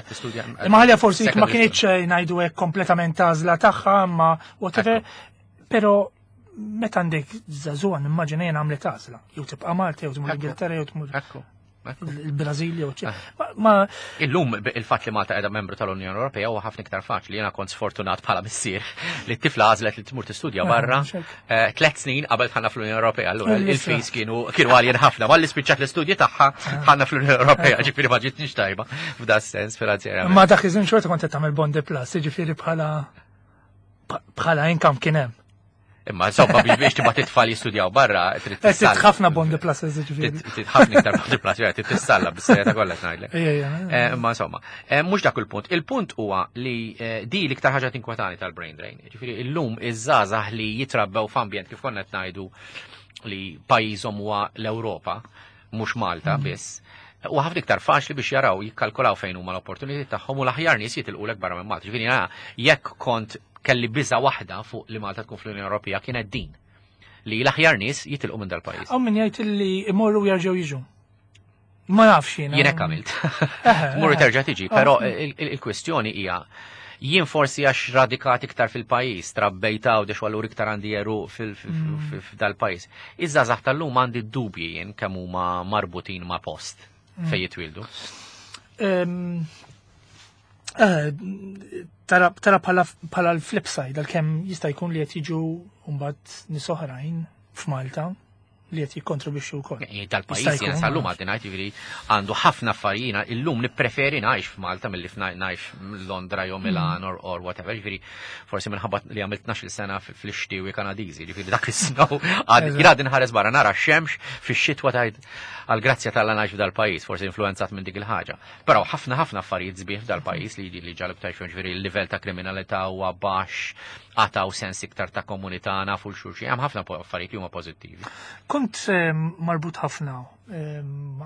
Imma ħalja forsi ma kienx ngħidu hekk kompletament għażla tagħha, imma whatever, però meta għandek żagħżugħa nimmaġina jien għamlet għażla. Jew tibqa' Malta, jew tmur Ingilterra, jew tmur. Ekku, Il-Brażil jew ma Illum il-fatt li Malta qiegħda membru tal-Unjoni Ewropea huwa ħafna iktar faċli. Jiena kont sfortunat bħala missier li t-tifla għażlet li tmur tistudja ah, barra eh, tliet snin qabel dħalna fl-Unjoni Ewropea. Allura il-fees kienu kienu għaljin ħafna. Malli spiċċat l-istudji tagħha ah. dħalna fl-Unjoni Ewropea, ah. Ġifieri ma ġitniex tajba f'da sens finanzjarjament. Ma dak iż-żmien xorta kont qed tagħmel Bonde Plus, jiġifieri bħala bħala income kien hemm. Imma insomma biex biex tibgħat it-tfal jistudjaw barra, trid tissalla. Ħafna Bonde Plus, ġifieri. Ħafna iktar Bonde Plus, trid tissalla bis-serjetà kollha ngħidlek. Eh, imma insomma, eh, mhux dak il-punt. Il-punt huwa li eh, di l-iktar ħaġa tinkwetani tal-brain drain. Ġifieri illum iż-żgħażagħ li jitrabbew f'ambjent kif konna qed ngħidu li pajjiżhom huwa l-Ewropa, mhux Malta mm. biss. U ħafna iktar faċli biex jaraw jikkalkulaw fejn huma l-opportunitajiet tagħhom u l-aħjar nies jitilqulek barra minn Malta. Ġifieri jekk kont kelli biża waħda fuq li Malta tkun fl-Unjoni Ewropea kienet din li l-aħjar nies jitilqu minn dal-pajjiż. Hawn min jgħid li imorru jerġgħu jiġu. Ma nafx jiena. Jien hekk għamilt. Tmur terġa' tiġi, però il-kwestjoni hija jien forsi għax radikat iktar fil-pajjiż, trabbejta u dex allura iktar għandi għeruq fil-dal-pajjiż. Iż-żgħażagħ tal-lum għandi dubji jien kemm huma marbutin ma' post mm. fejn jitwildu. Eh, tara bħala l-flip side, għalkemm jista' jkun li qed jiġu mbagħad nies oħrajn f'Malta li qed jikkontribwixxu wkoll. Dal-pajjiż jien sal-lum għadni ngħid jiġifieri għandu ħafna affarijiet illum nippreferi ngħix f'Malta milli ngħix Londra jew Milan or, or whatever. Jiġifieri forsi minħabba li għamilt tnax-il sena fl-ixtiewi Kanadiżi, jiġifieri dak is-snow jien għadni nħares barra nara x-xemx fix-xitwa tgħid għall-grazzja t'Alla ngħix f'dal-pajjiż, forsi influenzat minn dik il-ħaġa. Però ħafna ħafna affarijiet sbieħ f'dal-pajjiż li li ġalib tajx ġifieri il-livell ta' kriminalità huwa baxx, għataw sens iktar ta' komunità nafu l-xulxin, hemm ħafna affarijiet li huma pożittivi. Kont marbut ħafna,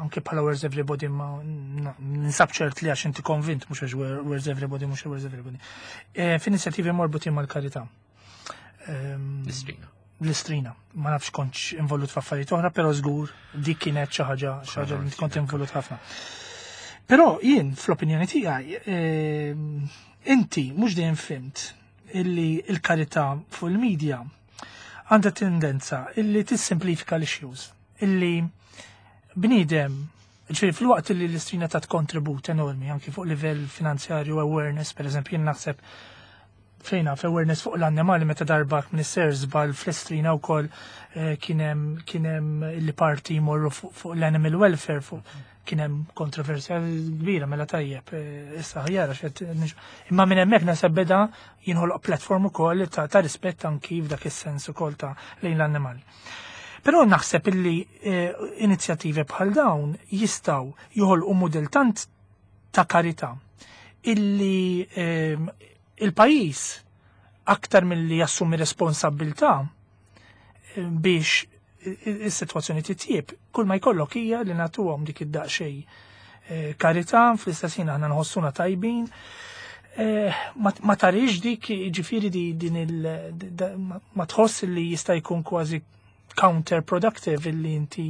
anke bħala Where's Everybody, ma ninsab ċert li għax inti konvint, mhux għax Where's Everybody, mhux Where's Everybody. Eh, f'inizjattivi marbutin mal-karità. L-Istrina. L-Istrina. Ma nafx kontx involut f'affarijiet oħra, però żgur dik kienet xi ħaġa xi ħaġa li kont involut ħafna. Però jien fl-opinjoni tiegħi inti mhux dejjem fhimt illi il-karità fuq il-medja għandha tendenza illi tissimplifika l-issues, illi bniedem, ġifieri fil-waqt illi l-Istrina tat kontribut enormi anki fuq livell finanzjarju awareness, per eżempju, jien naħseb fejna awareness fuq l-annimali meta darba minister żball fl-Istrina wkoll eh, kien hemm kien hemm illi parti jmorru fuq l-animal welfare fuq kien hemm kontroversja kbira mela tajjeb eh, issa ħjara xed imma minn hemmhekk naħseb beda jinħoloq platform ukoll ta', ta rispett anki f'dak is-sens ukoll ta' lejn l-annimali. Però naħseb illi eh, inizjattivi bħal dawn jistgħu joħolqu mudell tant ta' karità illi eh, il-pajjiż aktar milli jassumi responsabilità eh, biex is-sitwazzjoni titjieb, kull ma jkollok hija li nagħtuhom dik id-daqsxejn eh, karità, fl-istess ħin aħna nħossuna tajbin. Eh, ma tarix dik ġifieri din il ma tħoss li jista' jkun kważi counterproductive illi inti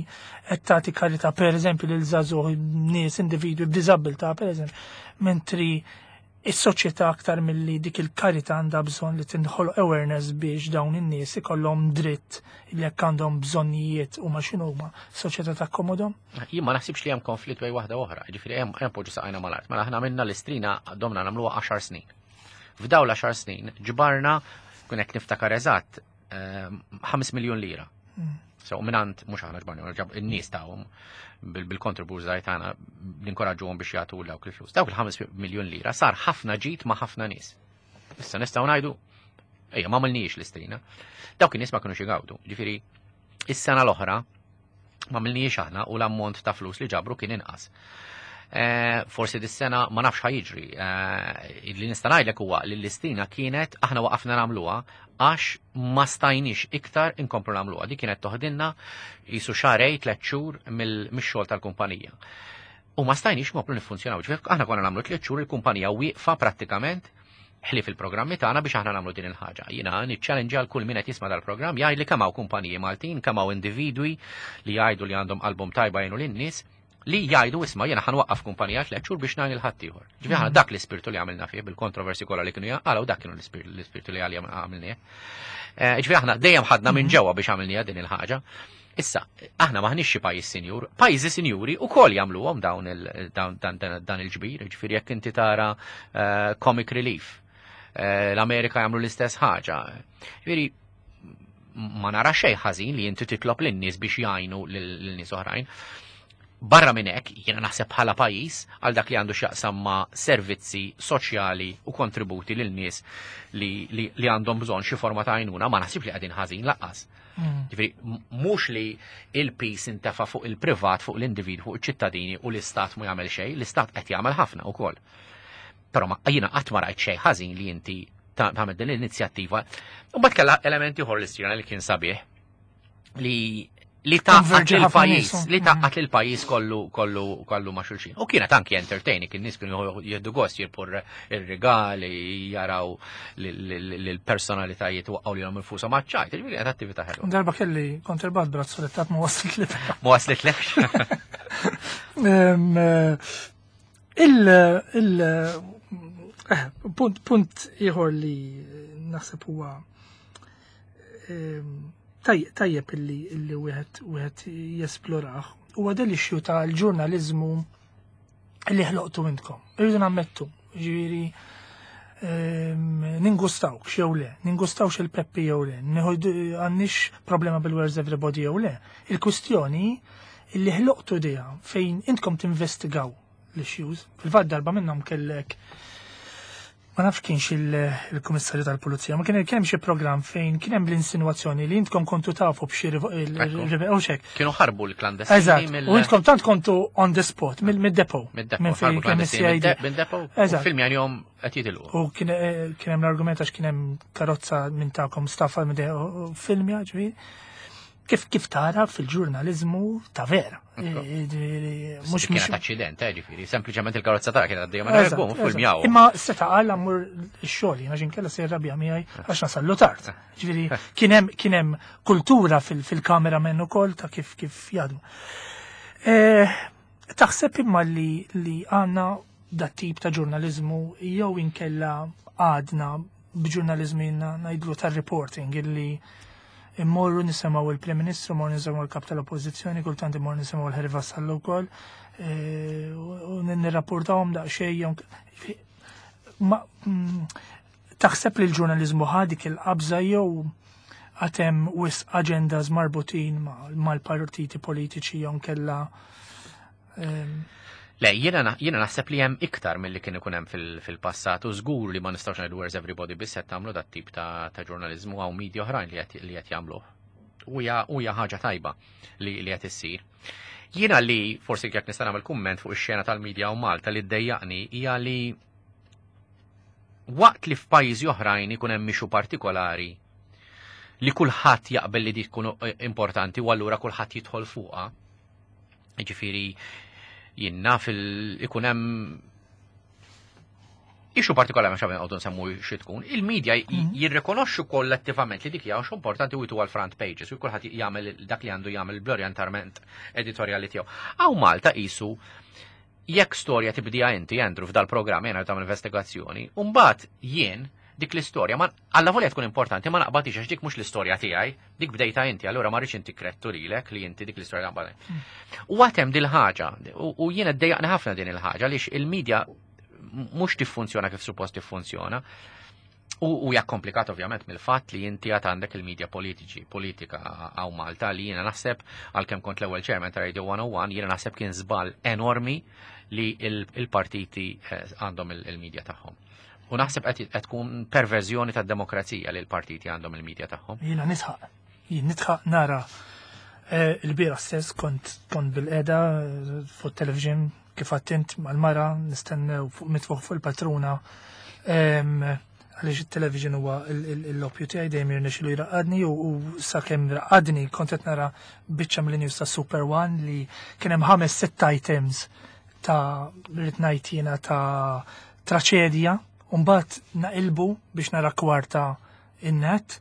qed tagħti karità pereżempju lil żagħżugħ nies individwi b'diżabilità pereżempju, mentri is-soċjetà aktar milli dik il-karità għandha bżonn li tinħoloq awareness biex dawn in-nies ikollhom dritt li jekk għandhom bżonnijiet huma x'inhuma, soċjetà takkomodhom? Jien ma naħsibx li hemm konflitt bejn waħda oħra, ġifieri hemm hemm poġġu saqajna mal-art. Mela aħna minna l-Istrina domna nagħmluha għaxar snin. F'dawn l-għaxar snin ġbarna kun hekk niftakar eżatt ħames miljun lira. Mm. So minant mhux aħna ġbarna, in-nies tawhom bil-contributors tagħna ninkoraġġuhom biex jagħtu dawk il-flus. Dawk il-ħames miljun lira sar ħafna ġid ma' ħafna nies. Issa nistgħu ngħidu ejja ma għamilniex l-Istrina. Dawk in-nies ma kinux igawdu. Ġifieri is-sena l-oħra ma għamilniex aħna u l-ammont ta' flus li ġabru kien inqas. Eh, forsi dis-sena ma nafx ħajġri. Eh, li nista' ngħidlek huwa li l-Istrina kienet aħna waqafna nagħmluha għax ma stajniex iktar inkomplu nagħmluha. Di kienet toħdilna jisu xarej tliet xhur mix-xogħol tal-kumpanija. U ma stajniex nkomplu niffunzjonaw. Ġifieri aħna konna nagħmlu tliet xhur il-kumpanija wieqfa prattikament ħlief il-programmi tagħna biex aħna nagħmlu din il-ħaġa. Jiena niċċallenġja għal kull min qed jisma' dal-programm jgħid li kemm hawn kumpaniji Maltin, kemm hawn individwi li jgħidu li għandhom qalbhom tajba jgħinu lin-nies li jgħidu isma' jiena ħanwaqqaf kumpanija tliet xhur biex ngħin il-ħaddieħor. Ġifieri aħna dak l-ispirtu li għamilna fih bil-kontroversi kollha li kienu jaqalgħu dak kienu l-ispirtu li għalija għamilnieh. Eh, ġifieri aħna dejjem ħadna minn ġewwa biex għamilniha din il-ħaġa. Issa, aħna maħniex xi pajjiż sinjur, pajjiżi sinjuri ukoll jagħmluhom dawn il dawn dan, dan, dan il-ġbir, ġifieri jekk inti tara uh, Comic Relief, uh, l-Amerika jagħmlu l-istess ħaġa. Ġifieri ma nara xejn ħażin li inti titlob lin-nies biex jgħinu lil nies oħrajn. Barra minn hekk, jiena naħseb bħala pajjiż għal dak li għandu x'jaqsam ma' servizzi soċjali u kontributi lil nies li, li, li għandhom bżonn xi forma ta' għajnuna, ma naħsibx li qegħdin ħażin lanqas. Mm. Ġifieri, mhux li il-piż intefa' fuq il-privat, fuq l-individwu, fuq iċ-ċittadini u l-istat mu jagħmel xejn, l-istat qed jagħmel ħafna wkoll. Però ma jiena qatt ma rajt xejn ħażin li inti tagħmel din l-inizjattiva. U mbagħad kellha elementi ieħor l-Istrina li kien sabiħ li li tgħaqqad il-pajjiż, li tgħaqqad il-pajjiż kollu kollu kollu ma' xulxin. U kienet anki entertaining, kien nies kienu jieħdu gost jirbħu ir-rigali, jaraw l-personalitajiet waqqgħu lilhom infushom maċ-ċajt, ġifieri kienet attività ħelwa. Darba kelli kont irbaħt brazzolettat, ma waslet li. Ma waslet lekx. Il il eh, punt punt ieħor li naħseb huwa tajjeb illi illi wieħed wieħed jesplorah huwa del issue tal-ġurnaliżmu li ħloqtu intkom. Irridu nammettu, ġifieri ningustawk jew le, ningustawx il-Peppi jew le, għandniex problema bil-Where's Everybody jew le. Il-kustjoni illi ħloqtu dija fejn intkom tinvestigaw l-issues. Fil-fatt darba minnhom kellek, ma nafx kienx il-Kummissarju tal-Pulizija, ma kien hemm xi programm fejn kien hemm l-insinuazzjoni li intkom kontu tafu b'xi u xek. Kienu ħarbu l-klandestini. Eżatt, u intkom tant kontu on the spot mid-depot. Mid-depot, minn fejn ħarbu kien klandestini C I D. mid-depot. Eżatt. U film jom qed jitilqu. U kien eh, kien hemm l-argument għax kien hemm karozza minn tagħkom staffa minn u filmja, ġifieri. Kif kif tara fil-ġurnaliżmu ta' vera. Mhux kienet aċċident, eh, ġifieri, sempliċement il-karozza tara kienet għaddejja ma Eżatt, bum, eżatt. filmjaw. Imma seta' qal ammur ix-xogħol, jiena ġin kella se jirrabja miegħi għax nasallu tard. Ġifieri kien hemm kien hemm kultura fil-kameramen ukoll ta' kif kif jadmu. Eh, Taħseb imma li li għandna dat tip ta' ġurnaliżmu jew inkella għadna b'ġurnaliżmu jiena ngħidlu tar-reporting illi immorru nisimgħu il-Prim Ministru, immorru nisimgħu l-Kap tal-Oppożizzjoni, kultant immorru nisimgħu l-Harry Vassallo wkoll, eh, u nirrapportawhom daqsxejn jew ma mm, taħseb li l-ġurnaliżmu ħa dik il-qabża jew għad hemm wisq agendas marbutin mal-partiti politiċi jew kella ehm, Le, jiena na- jiena naħseb li hemm iktar milli kien ikun hemm fil- fil-passat u żgur li ma nistgħux ngħidu Where's Everybody biss qed tagħmlu dat tip ta' ta' ġurnaliżmu, hawn media oħrajn li qed li qed jagħmluh. U hija u hija ħaġa tajba li li qed issir. Jiena li forsi jekk nista' nagħmel kumment fuq ix-xena tal-medja u Malta li ddejjaqni hija li waqt li f'pajjiżi oħrajn ikun hemm issue partikolari li kulħadd jaqbel li di tkun importanti u allura kulħadd jidħol fuqha. Ġifieri jiena fil ikun hemm issue partikolari, ma xaben għodu nsemmu xi tkun, il-medja Mhm. jirrikonoxxu kollettivament li dik hija xi importanti u jtu għal front pages u kulħadd jagħmel dak li għandu jagħmel bl-orjentament editorjali tiegħu. Hawn Malta qisu jekk storja tibdija inti, Andrew, f'dal programm jena tagħmel investigazzjoni, u mbagħad jien dik l-istorja ma alla volja tkun importanti ma naqbadix għax dik mhux l-istorja tiegħi, dik bdejta inti, allura ma rridx inti krettu lilek li inti dik l-istorja naqbad. U għad hemm dil-ħaġa, u u jiena ddejjaqni ħafna din il-ħaġa għaliex il-medja mhux tiffunzjona kif suppost tiffunzjona. U u hija komplikat ovvjament mill-fatt li inti għad għandek il-medja politiċi, politika hawn Malta li jiena naħseb, għalkemm kont l-ewwel chairman ta' Radio one oh one, jiena naħseb kien żball enormi li il- il-partiti eh, għandhom il- il-medja tagħhom. U naħseb qed qed tkun perverżjoni tad-demokrazija li l-partiti għandhom il-medja tagħhom. Jiena nisħaq, jien nitħaq nara eh, il-bieraħ stess kont kont bil-qeda eh, fuq television kif attint mal-mara nistennew fuq mitfuħ fuq il-patruna Em, għaliex il-television huwa l-oppju tiegħi, dejjem jirnexxilu jraqqadni u u sakemm raqqadni kont qed nara biċċa mill-news ta' Super One li kien hemm ħames sitt items ta' rrid ngħid jiena ta' traċedja u mbagħad naqilbu biex nara kwarta in-NET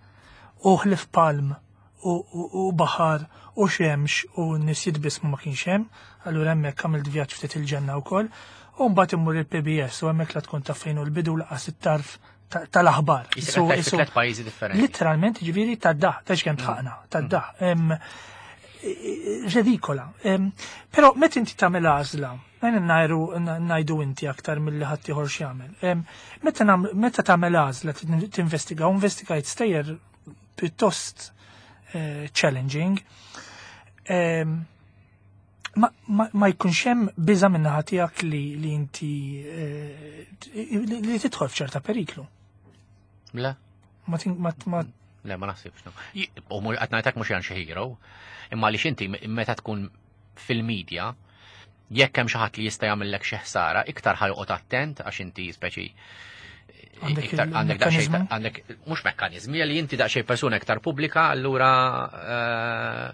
u ħlif palm u, u, u baħar u xemx u nies jitbismu ma kienx hemm, allura hemmhekk għamilt vjaġġ ftit il-ġenna wkoll, u mbagħad immur il-P B S u hemmhekk la tkun taf fejn hu l-bidu laqas it-tarf ta- tal-aħbar. Issa Isu- qed isu- tliet pajjiżi differenti. Literalment, ġifieri tad-daħ, ta' kemm tħaqna, tad-daħ. Em, Redikola. Però meta inti tagħmel għażla, ngħidu ngħidu inti aktar milli ħadd ieħor x'jagħmel. Meta meta tagħmel għażla tinvestiga, u investigajt stejjer pjuttost eh, challenging, ma, ma, ma jkunx hemm biża' min-naħa tiegħek li, li inti eh, li, li tidħol f'ċerta periklu. Le. Ma, ma, ma Le, ma naħsibx. No. U qed ngħidlek mhux xi hero, imma li inti meta tkun fil-medja, jekk hemm xi ħadd li jista' jagħmellek xi ħsara, iktar ħa joqgħod attent għax inti speċi iktar għandek daqsxejn għandek mhux mekkaniżmi li inti daqsxejn persuna iktar pubblika, allura eh,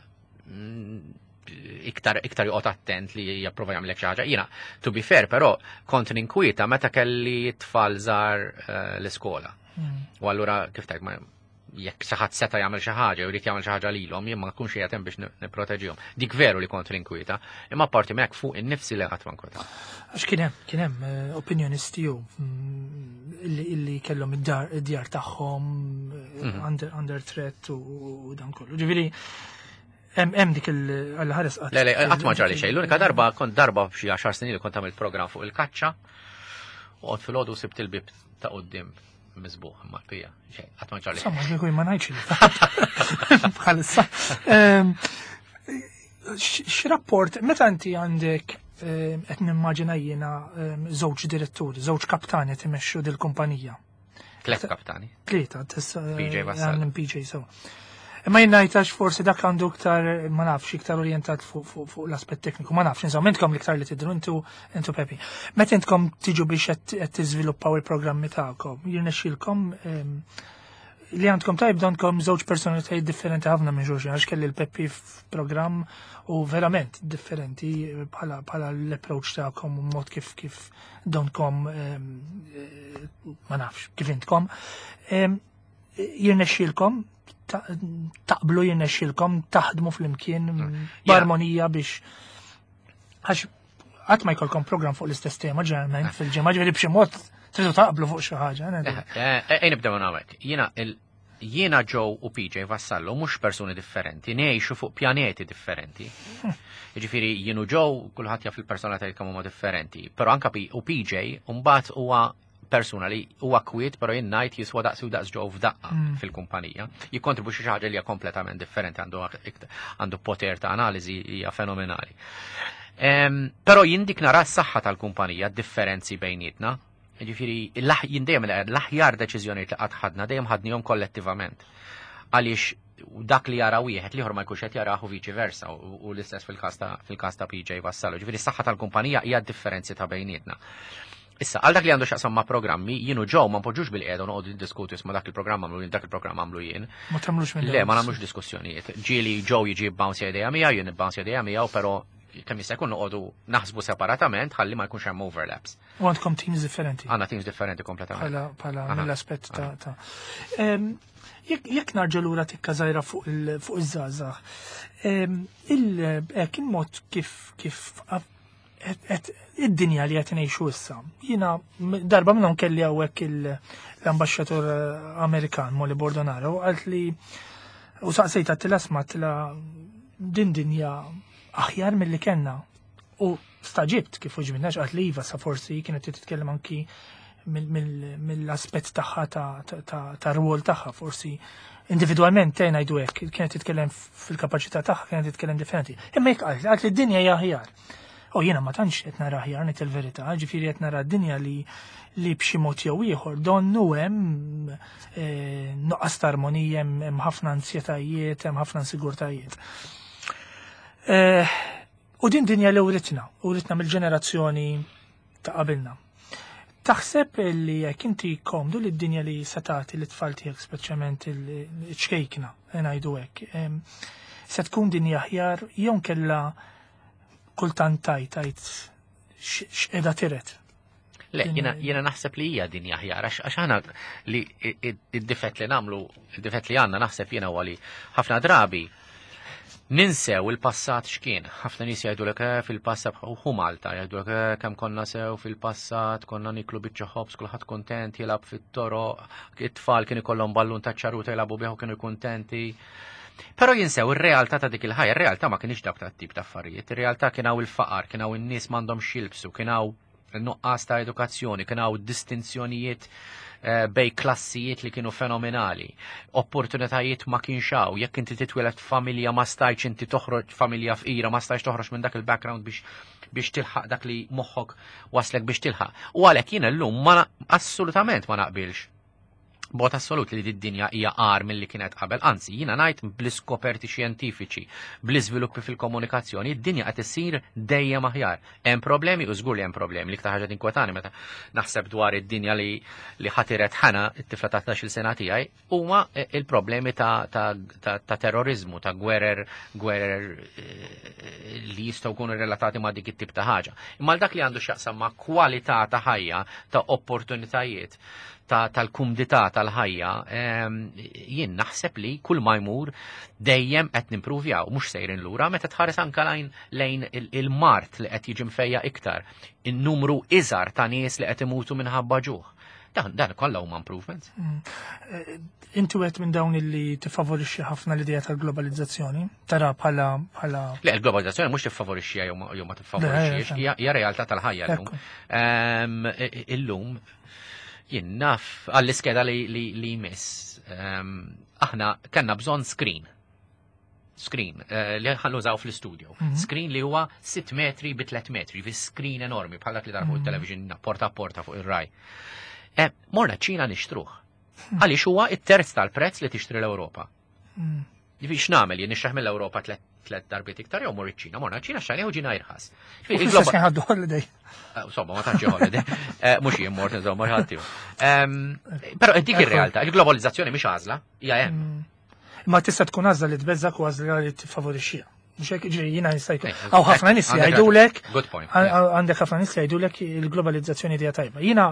iktar iktar joqgħod attent li japprova jagħmlek xi ħaġa. Jiena, to be fair, però kont ninkwieta meta kelli tfal żgħar eh, l-iskola. Hmm. U allura kif tajt ma jekk xi ħadd seta' jagħmel xi ħaġa u jrid jagħmel xi ħaġa lilhom, jien ma nkunx qiegħed hemm biex nipproteġihom. Dik veru li kont ninkwieta, imma parti minn hekk fuq innifsi li qatt ma nkwieta. Għax kien hemm kien hemm eh, opinjonisti u mm, illi kellhom id-djar tagħhom eh, mhm. under, under threat u dan kollu. Ġifieri hemm dik il-ħares qatt. Le, le, qatt ma ġarali xejn. L-unika darba kont darba f'xi għaxar snin li kont għamilt programm fuq il-kaċċa u għod filgħodu sibt il-bib ta' quddiem miżbuħ ma' pija. Xejn, qatt ma ġarali. Insomma, kieku ma ngħidx li. Bħalissa. Ehm, x'rapport, meta inti għandek ehm, qed nimmaġina jiena ehm, żewġ diretturi, żewġ kaptani timexxu dil-kumpanija. Tlet kaptani. Tlieta, P J Vassallo. P J so. Imma jien ngħidx forsi dak għandu iktar, ma nafx, iktar orientat fuq fu, fu l-aspett tekniku, ma nafx, insomma, intkom l-iktar li tidru, intu intu Pepi. Meta intkom tiġu biex qed tiżviluppaw il-programmi tagħkom, jirnexxilkom ehm, li għandkom tajb għandkom żewġ personalitajiet differenti ħafna minn xulxin, għax kelli l-Peppi f'programm u verament differenti bħala bħala l-approach tagħkom u mod kif kif donkom ehm, eh, ma nafx kif intkom. Ehm, Jirnexxilkom ta- taqblu, jirnexxilkom taħdmu flimkien b'armonija biex għax qatt ma jkollkom program fuq l-istess tema ġeneralment fil-ġimgħa, ġifieri b'xi mod tridu taqblu fuq xi ħaġa. Ejn nibdew hawnhekk. Jiena il jiena Joe u P J Vassallo mhux persuni differenti, ngħixu fuq pjaneti differenti. Jiġifieri jien u Joe kulħadd jaf il-personalitajiet kemm huma differenti, però anka P u P J mbagħad huwa persuna li huwa kwiet, però jien ngħid jiswa daqs u daqs Joe f'daqqa fil-kumpanija. Jikkontribwixxi xi ħaġa li hija kompletament differenti, għandu għandu poter ta' analiżi hija fenomenali. Em, Però jien dik nara s-saħħa tal-kumpanija, differenzi bejnietna. Ġifieri, jien dejjem l-aħjar deċiżjonijiet li qatt ħadna dejjem ħadnihom kollettivament. Għaliex dak li jara wieħed l-ieħor ma jkunx qed jarah u viċi versa u u l-istess fil-każ ta' fil-każ ta' P J Vassallo. Ġifieri s-saħħa tal-kumpanija hija differenzi ta' bejnietna. Issa, għal dak li għandu x'jaqsam ma' programmi, jien u Joe ma npoġġux bil-qiegħda u noqogħdu niddiskutu isma' dak il-programm għamlu jien, dak il-programm għamlu jien. Ma tagħmlux minn Le, ma nagħmlux diskussjonijiet. Ġieli Joe jiġi bounce idea miegħu, jien bounce idea miegħu, però kemm jista' jkun noqogħdu naħsbu separatament ħalli ma jkunx hemm overlaps. U għandkom teams differenti. Għandna teams differenti kompletament. Bħala bħala Aha. mill-aspett ta' ta' Em, Jekk jekk narġa' lura tikka żgħira fuq il- fuq iż-żgħażagħ, em, il hekk il-mod kif kif qed- qed- id-dinja li qed ngħixu issa. Jiena m- darba minnhom kelli hawnhekk il- l-ambaxxatur eh, Amerikan Molly Bordonaro u qalt li u saqsejta għedtilha għedtilha din dinja aħjar mill-li kellna. U stagħġibt kif uġminnax qalt li iva, sa forsi kienet titkellem anki mill-aspett tagħha ta' ta' ta' rwol tagħha, forsi individwalment tejn ngħidu hekk, kienet titkellem fil-kapaċità tagħha, kienet titkellem differenti. Imma jekk qalt qalt li d-dinja hija aħjar. U jiena ma tantx qed nara aħjar, ngħid il-verità, ġifieri qed nara d-dinja li li b'xi mod jew ieħor donnu hemm eh, nuqqas ta' armonija, hemm hemm ħafna ansjetajiet, hemm ħafna insigurtajiet. Eh, U din dinja li uritna, uritna mill-ġenerazzjoni ta' qabilna. Taħseb li jekk inti komdu li d-dinja li se tagħti lit-tfal tiegħek, speċjalment il-ċkejkna, ngħidu hekk, em, se tkun dinja aħjar jew kella kultant tajt tajt x'qiegħda tiret? Le, Din- jiena jiena naħseb li hija dinja aħjar, għax għax aħna li id-difett li nagħmlu, id-difett li għandna naħseb jiena huwa li ħafna drabi ninsew il-passat x'kien. Ħafna nies jgħidulek eh, fil-passat u hu Malta, jgħidulek eh, kemm konna sew fil-passat, konna niklu biċċa ħobż, kulħadd kontent, jilgħab fit-toroq, it-tfal kien ikollhom ballun ta' ċaruta jilagħbu bih u kienu kuntenti. Però jinsew ir-realtà ta' dik il-ħajja, ir-realtà ma kienx dak tat-tip ta' affarijiet, ir-realtà kien hawn il-faqar, kien hawn in-nies m'għandhom x'jilbsu, kien hawn nuqqas ta' edukazzjoni, kien hawn distinzjonijiet eh, bejn klassijiet li kienu fenomenali, opportunitajiet ma kienx hawn, jekk inti titwieled familja ma stajtx inti toħroġ familja fqira, ma stajtx toħroġ minn dak il-background biex biex tilħaq dak li moħħok waslek biex tilħaq. U għalhekk jiena llum ma assolutament ma naqbilx b'mod assolut li d-dinja hija agħar milli kienet qabel. Anzi, jiena ngħid bl-iskoperti xjentifiċi, bl-iżviluppi fil-komunikazzjoni, id-dinja qed issir dejjem aħjar. Hemm problemi u żgur li hemm problemi. L-iktar ħaġa tinkwetani meta naħseb dwar id-dinja li li ħa tiret Ħana, it-tifla ta' tnax-il sena tiegħi, huma il-problemi ta', ta, ta, ta terrorizmu, ta' gwerer, gwerer eh, li jistgħu jkunu relatati ma' dik it-tip ta' ħaġa. Imma dak li għandu x'jaqsam ma' kwalità ta' ħajja, ta' opportunitajiet, tal-kumdità tal-ħajja, jien naħseb li kull ma jmur dejjem qed nimpruvjaw, mhux sejrin lura, meta tħares anka lejn lejn il-mard li qed jiġi mfejjaq iktar, in-numru iżgħar ta' nies li qed imutu minħabba ġuħ. Dan, dan kollha huma improvements. Mm. Eh, inti wieħed minn dawn illi tifavorixxi ħafna l-idea tal-globalizzazzjoni? Tara bħala bħala Le, il-globalizzazzjoni mhux tiffavorixxi jew ma tiffavorixxix, hija realtà tal-ħajja llum. Illum jien naf għall-iskeda li, li, li jmiss. Aħna kellna bżonn screen. Screen uh, li ħa nużaw fl-studio. Mm -hmm. Screen li huwa sitt metri bi tliet metri, fi screen enormi bħal dak li tara fuq mm -hmm. il-television porta a porta fuq ir-Rai. Eh, morna ċina nixtruh. Hmm. Għaliex huwa it-terz tal-prezz li tixtri l-Ewropa. Mm. Ġifieri x'nagħmel jien nixtrah mill-Ewropa tliet tliet darbiet iktar jew mor iċ-Ċina? Morna ċina xtrajnieh u ġina irħas. Ħaddu holiday. Eh, insomma, ma tantx holiday. Eh, mhux jien mort, insomma, ħadd Però dik ir-realtà, il-globalizzazzjoni mhix għażla, hija hemm. Mm. Ma tista' tkun għażla li tbeżżak u għażla li tiffavorixxiha. Mhux hekk ġiri jiena jista' jkun. Hawn ħafna nies jgħidulek. Good point. Għandek ħafna nies jgħidulek il-globalizzazzjoni hija tajba. Jiena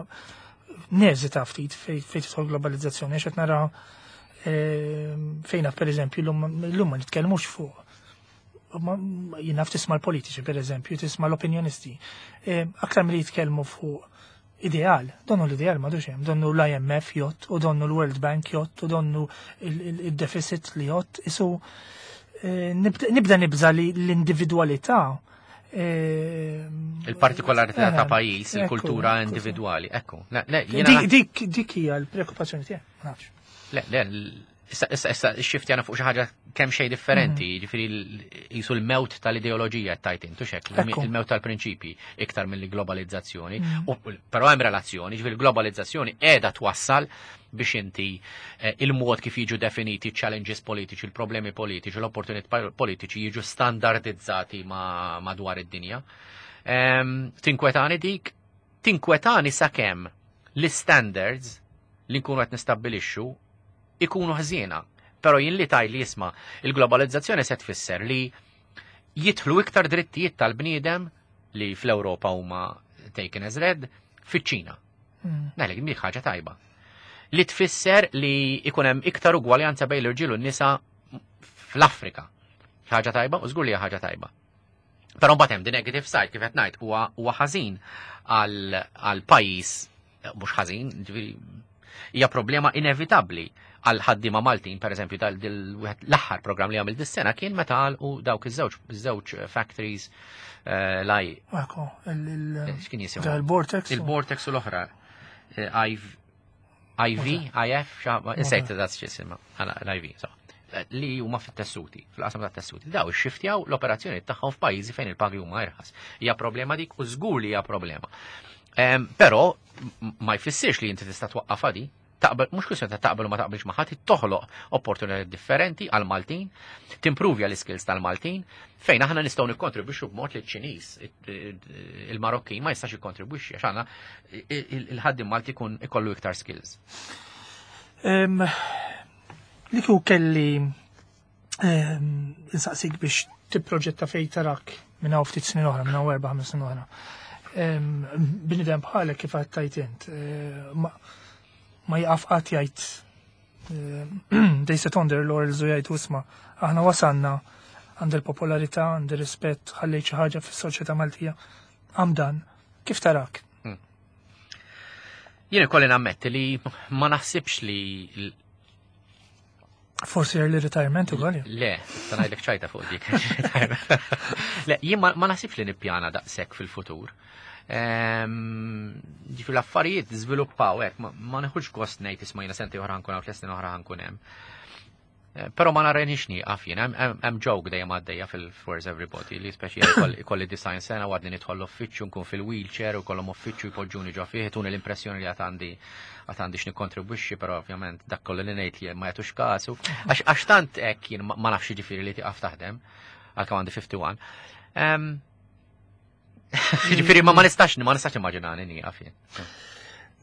neżita ftit fejn tidħol globalizzazzjoni għax qed nara ehm, fejna per eżempju l-lum ma nitkellmux fuq jien naf tisma' l-politiċi per eżempju, tisma' l-opinjonisti. Ehm, aktar milli jitkellmu fuq ideal, donnu l-ideal m'għadux hemm, donnu l-I M F jgħodd, u donnu l-World Bank jgħodd, u donnu il-deficit li jgħodd, isu eh, nibda nibża li l-individualità eh, Il-partikolarità ta' pajjiż, il-kultura individwali, ekku. Dik dik hija l-preokkupazzjoni tiegħek, ma nafx. Le, le, issa issa issa xiftjana fuq xi ħaġa kemm xejn differenti, mhm. jiġifieri jisu l-mewt tal-ideoloġija tajt intu xek, il-mewt tal-prinċipji iktar mill-globalizzazzjoni. Mhm. Però hemm relazzjoni, ġifieri l-globalizzazzjoni qiegħda twassal biex inti eh, il-mod kif jiġu definiti challenges politiċi, il-problemi politiċi, l-opportunitajiet politiċi jiġu standardizzati madwar id-dinja. Tinkwetani dik, tinkwetani sakemm l-standards li nkunu qed nistabbilixxu ikunu ħżiena. Però jien li taj li jisma' il-globalizzazzjoni se tfisser li jidħlu iktar drittijiet tal-bniedem li fl-Ewropa huma taken as read fiċ-Ċina. Mm. Ngħidlek dik ħaġa tajba. Li tfisser li ikun hemm iktar ugwaljanza bejn l-irġiel u n-nisa fl-Afrika. Ħaġa tajba u żgur li hija ħaġa tajba. Però mbagħad hemm the negative side, kif qed ngħid, huwa huwa ħażin għal pajjiż, mhux ħażin, ġifieri hija problema inevitabbli għal ħaddiema Maltin, per eżempju, l-aħħar program li għamil dis-sena kien meta u dawk iż-żewġ żewġ factories eh, laj. X'kien jisimhom? Il-Vortex. Il-Vortex u l-oħra. Eh, I V, I F, insejt dat x'jisimha, l-I V, li huma fit-tessuti, fil-qasam tat-tessuti. Daw ixxiftjaw l-operazzjoni tagħhom f'pajjiżi fejn il-pagi huma irħas. Hija problema dik u żgur li hija problema. Però ma jfissirx li inti tista' twaqqafha di, taqbel, mhux kwistjoni ta' taqbel u ma taqbilx ma' ħadd, toħloq opportunitajiet differenti għal Maltin, timpruvja l-skills tal-Maltin, fejn aħna nistgħu nikkontribwixxu b'mod li ċ-Ċiniż, il-Marokkin ma jistax jikkontribwixxi għax aħna il-ħaddiem Malti jkun ikollu iktar skills. Li kieku kelli insaqsik biex tipproġetta fejn tarak minn hawn ftit snin oħra, minn hawn erba' ħames snin oħra. Bniedem bħalek kif għedt int, eh, ma jaqaf qatt jgħid they sit on their laurels u jgħid isma' aħna wasalna għand il-popolarità, għand il-rispett, ħallejt xi ħaġa fis-soċjetà Maltija. Għamdan, kif tarak? Hmm. Jien ikolli nammetti li ma naħsibx li Forsi early retirement ukoll. Le, ta' ngħidlek ċajta fuq dik. Le, jien ma ma naħsibx li nippjana daqshekk fil-futur. Ehm, Ġifieri l-affarijiet żviluppaw hekk, ma- ma neħux gost ngħid isma' jiena sentejn oħra nkun hawn, tliet snin oħra nkun hemm. Eh, Però ma narenix nieqaf jien, hemm- hemm hemm joke dejjem għaddejja fil-Where's Everybody li speċi jkolli ikolli disgħin sena u għadni nidħol l-uffiċċju nkun fil-wheelchair u kollhom uffiċċju jpoġġuni ġo fih, tuni l-impressjoni li għad għandi għad għandi x'nikkontribwixxi, però ovvjament dak kollu li ngħid li ma jagħtux kasu. Għax għax tant hekk jien ma ma nafx jiġifieri li tieqaf taħdem, għalkemm għandi wieħed u ħamsin. Em, Ġifieri ma ma nistax ma nistax immaġinani nieqaf jien.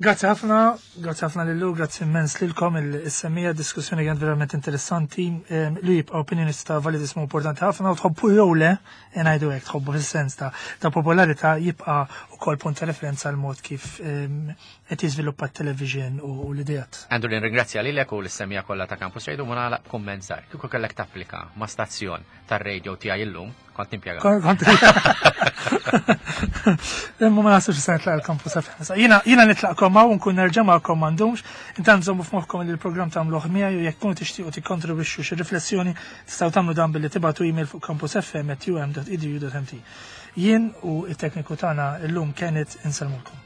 Grazzi ħafna, grazzi ħafna lillu, grazzi immens lilkom is-semmiegħa, diskussjoni kienet verament interessanti. Em, Li jibqa' opinjonista validismu importanti ħafna u tħobbu jew le, ngħidu hekk tħobbu fis-sens ta' ta' popolarità jibqa' ukoll punt ta' referenza għal mod kif em, qed jiżviluppa t-television u u l-idejat. Andrew, nirringrazzja lilek u lis-semmiegħa kollha ta' Campus Radio u nagħlaq kumment żgħir. Kieku kellek tapplika ma' stazzjon tar-radio tiegħi illum, kont nimpjega. Kon- Kont Imma ma naħsibx se nitlaq il-Campus F M. Jiena jiena nitlaqkom hawn nkun nerġa' magħkom m'għandhomx. Intant żommu f'moħħkom li l-programm tagħmluh miegħi u jekk tkunu tixtiequ tikkontribwixxu xi riflessjoni tistgħu tagħmlu dan billi tibagħtu email fuq campusfm at u m dot e d u dot m t. Jien u it-tekniku tagħna illum Kenneth insellmulkom.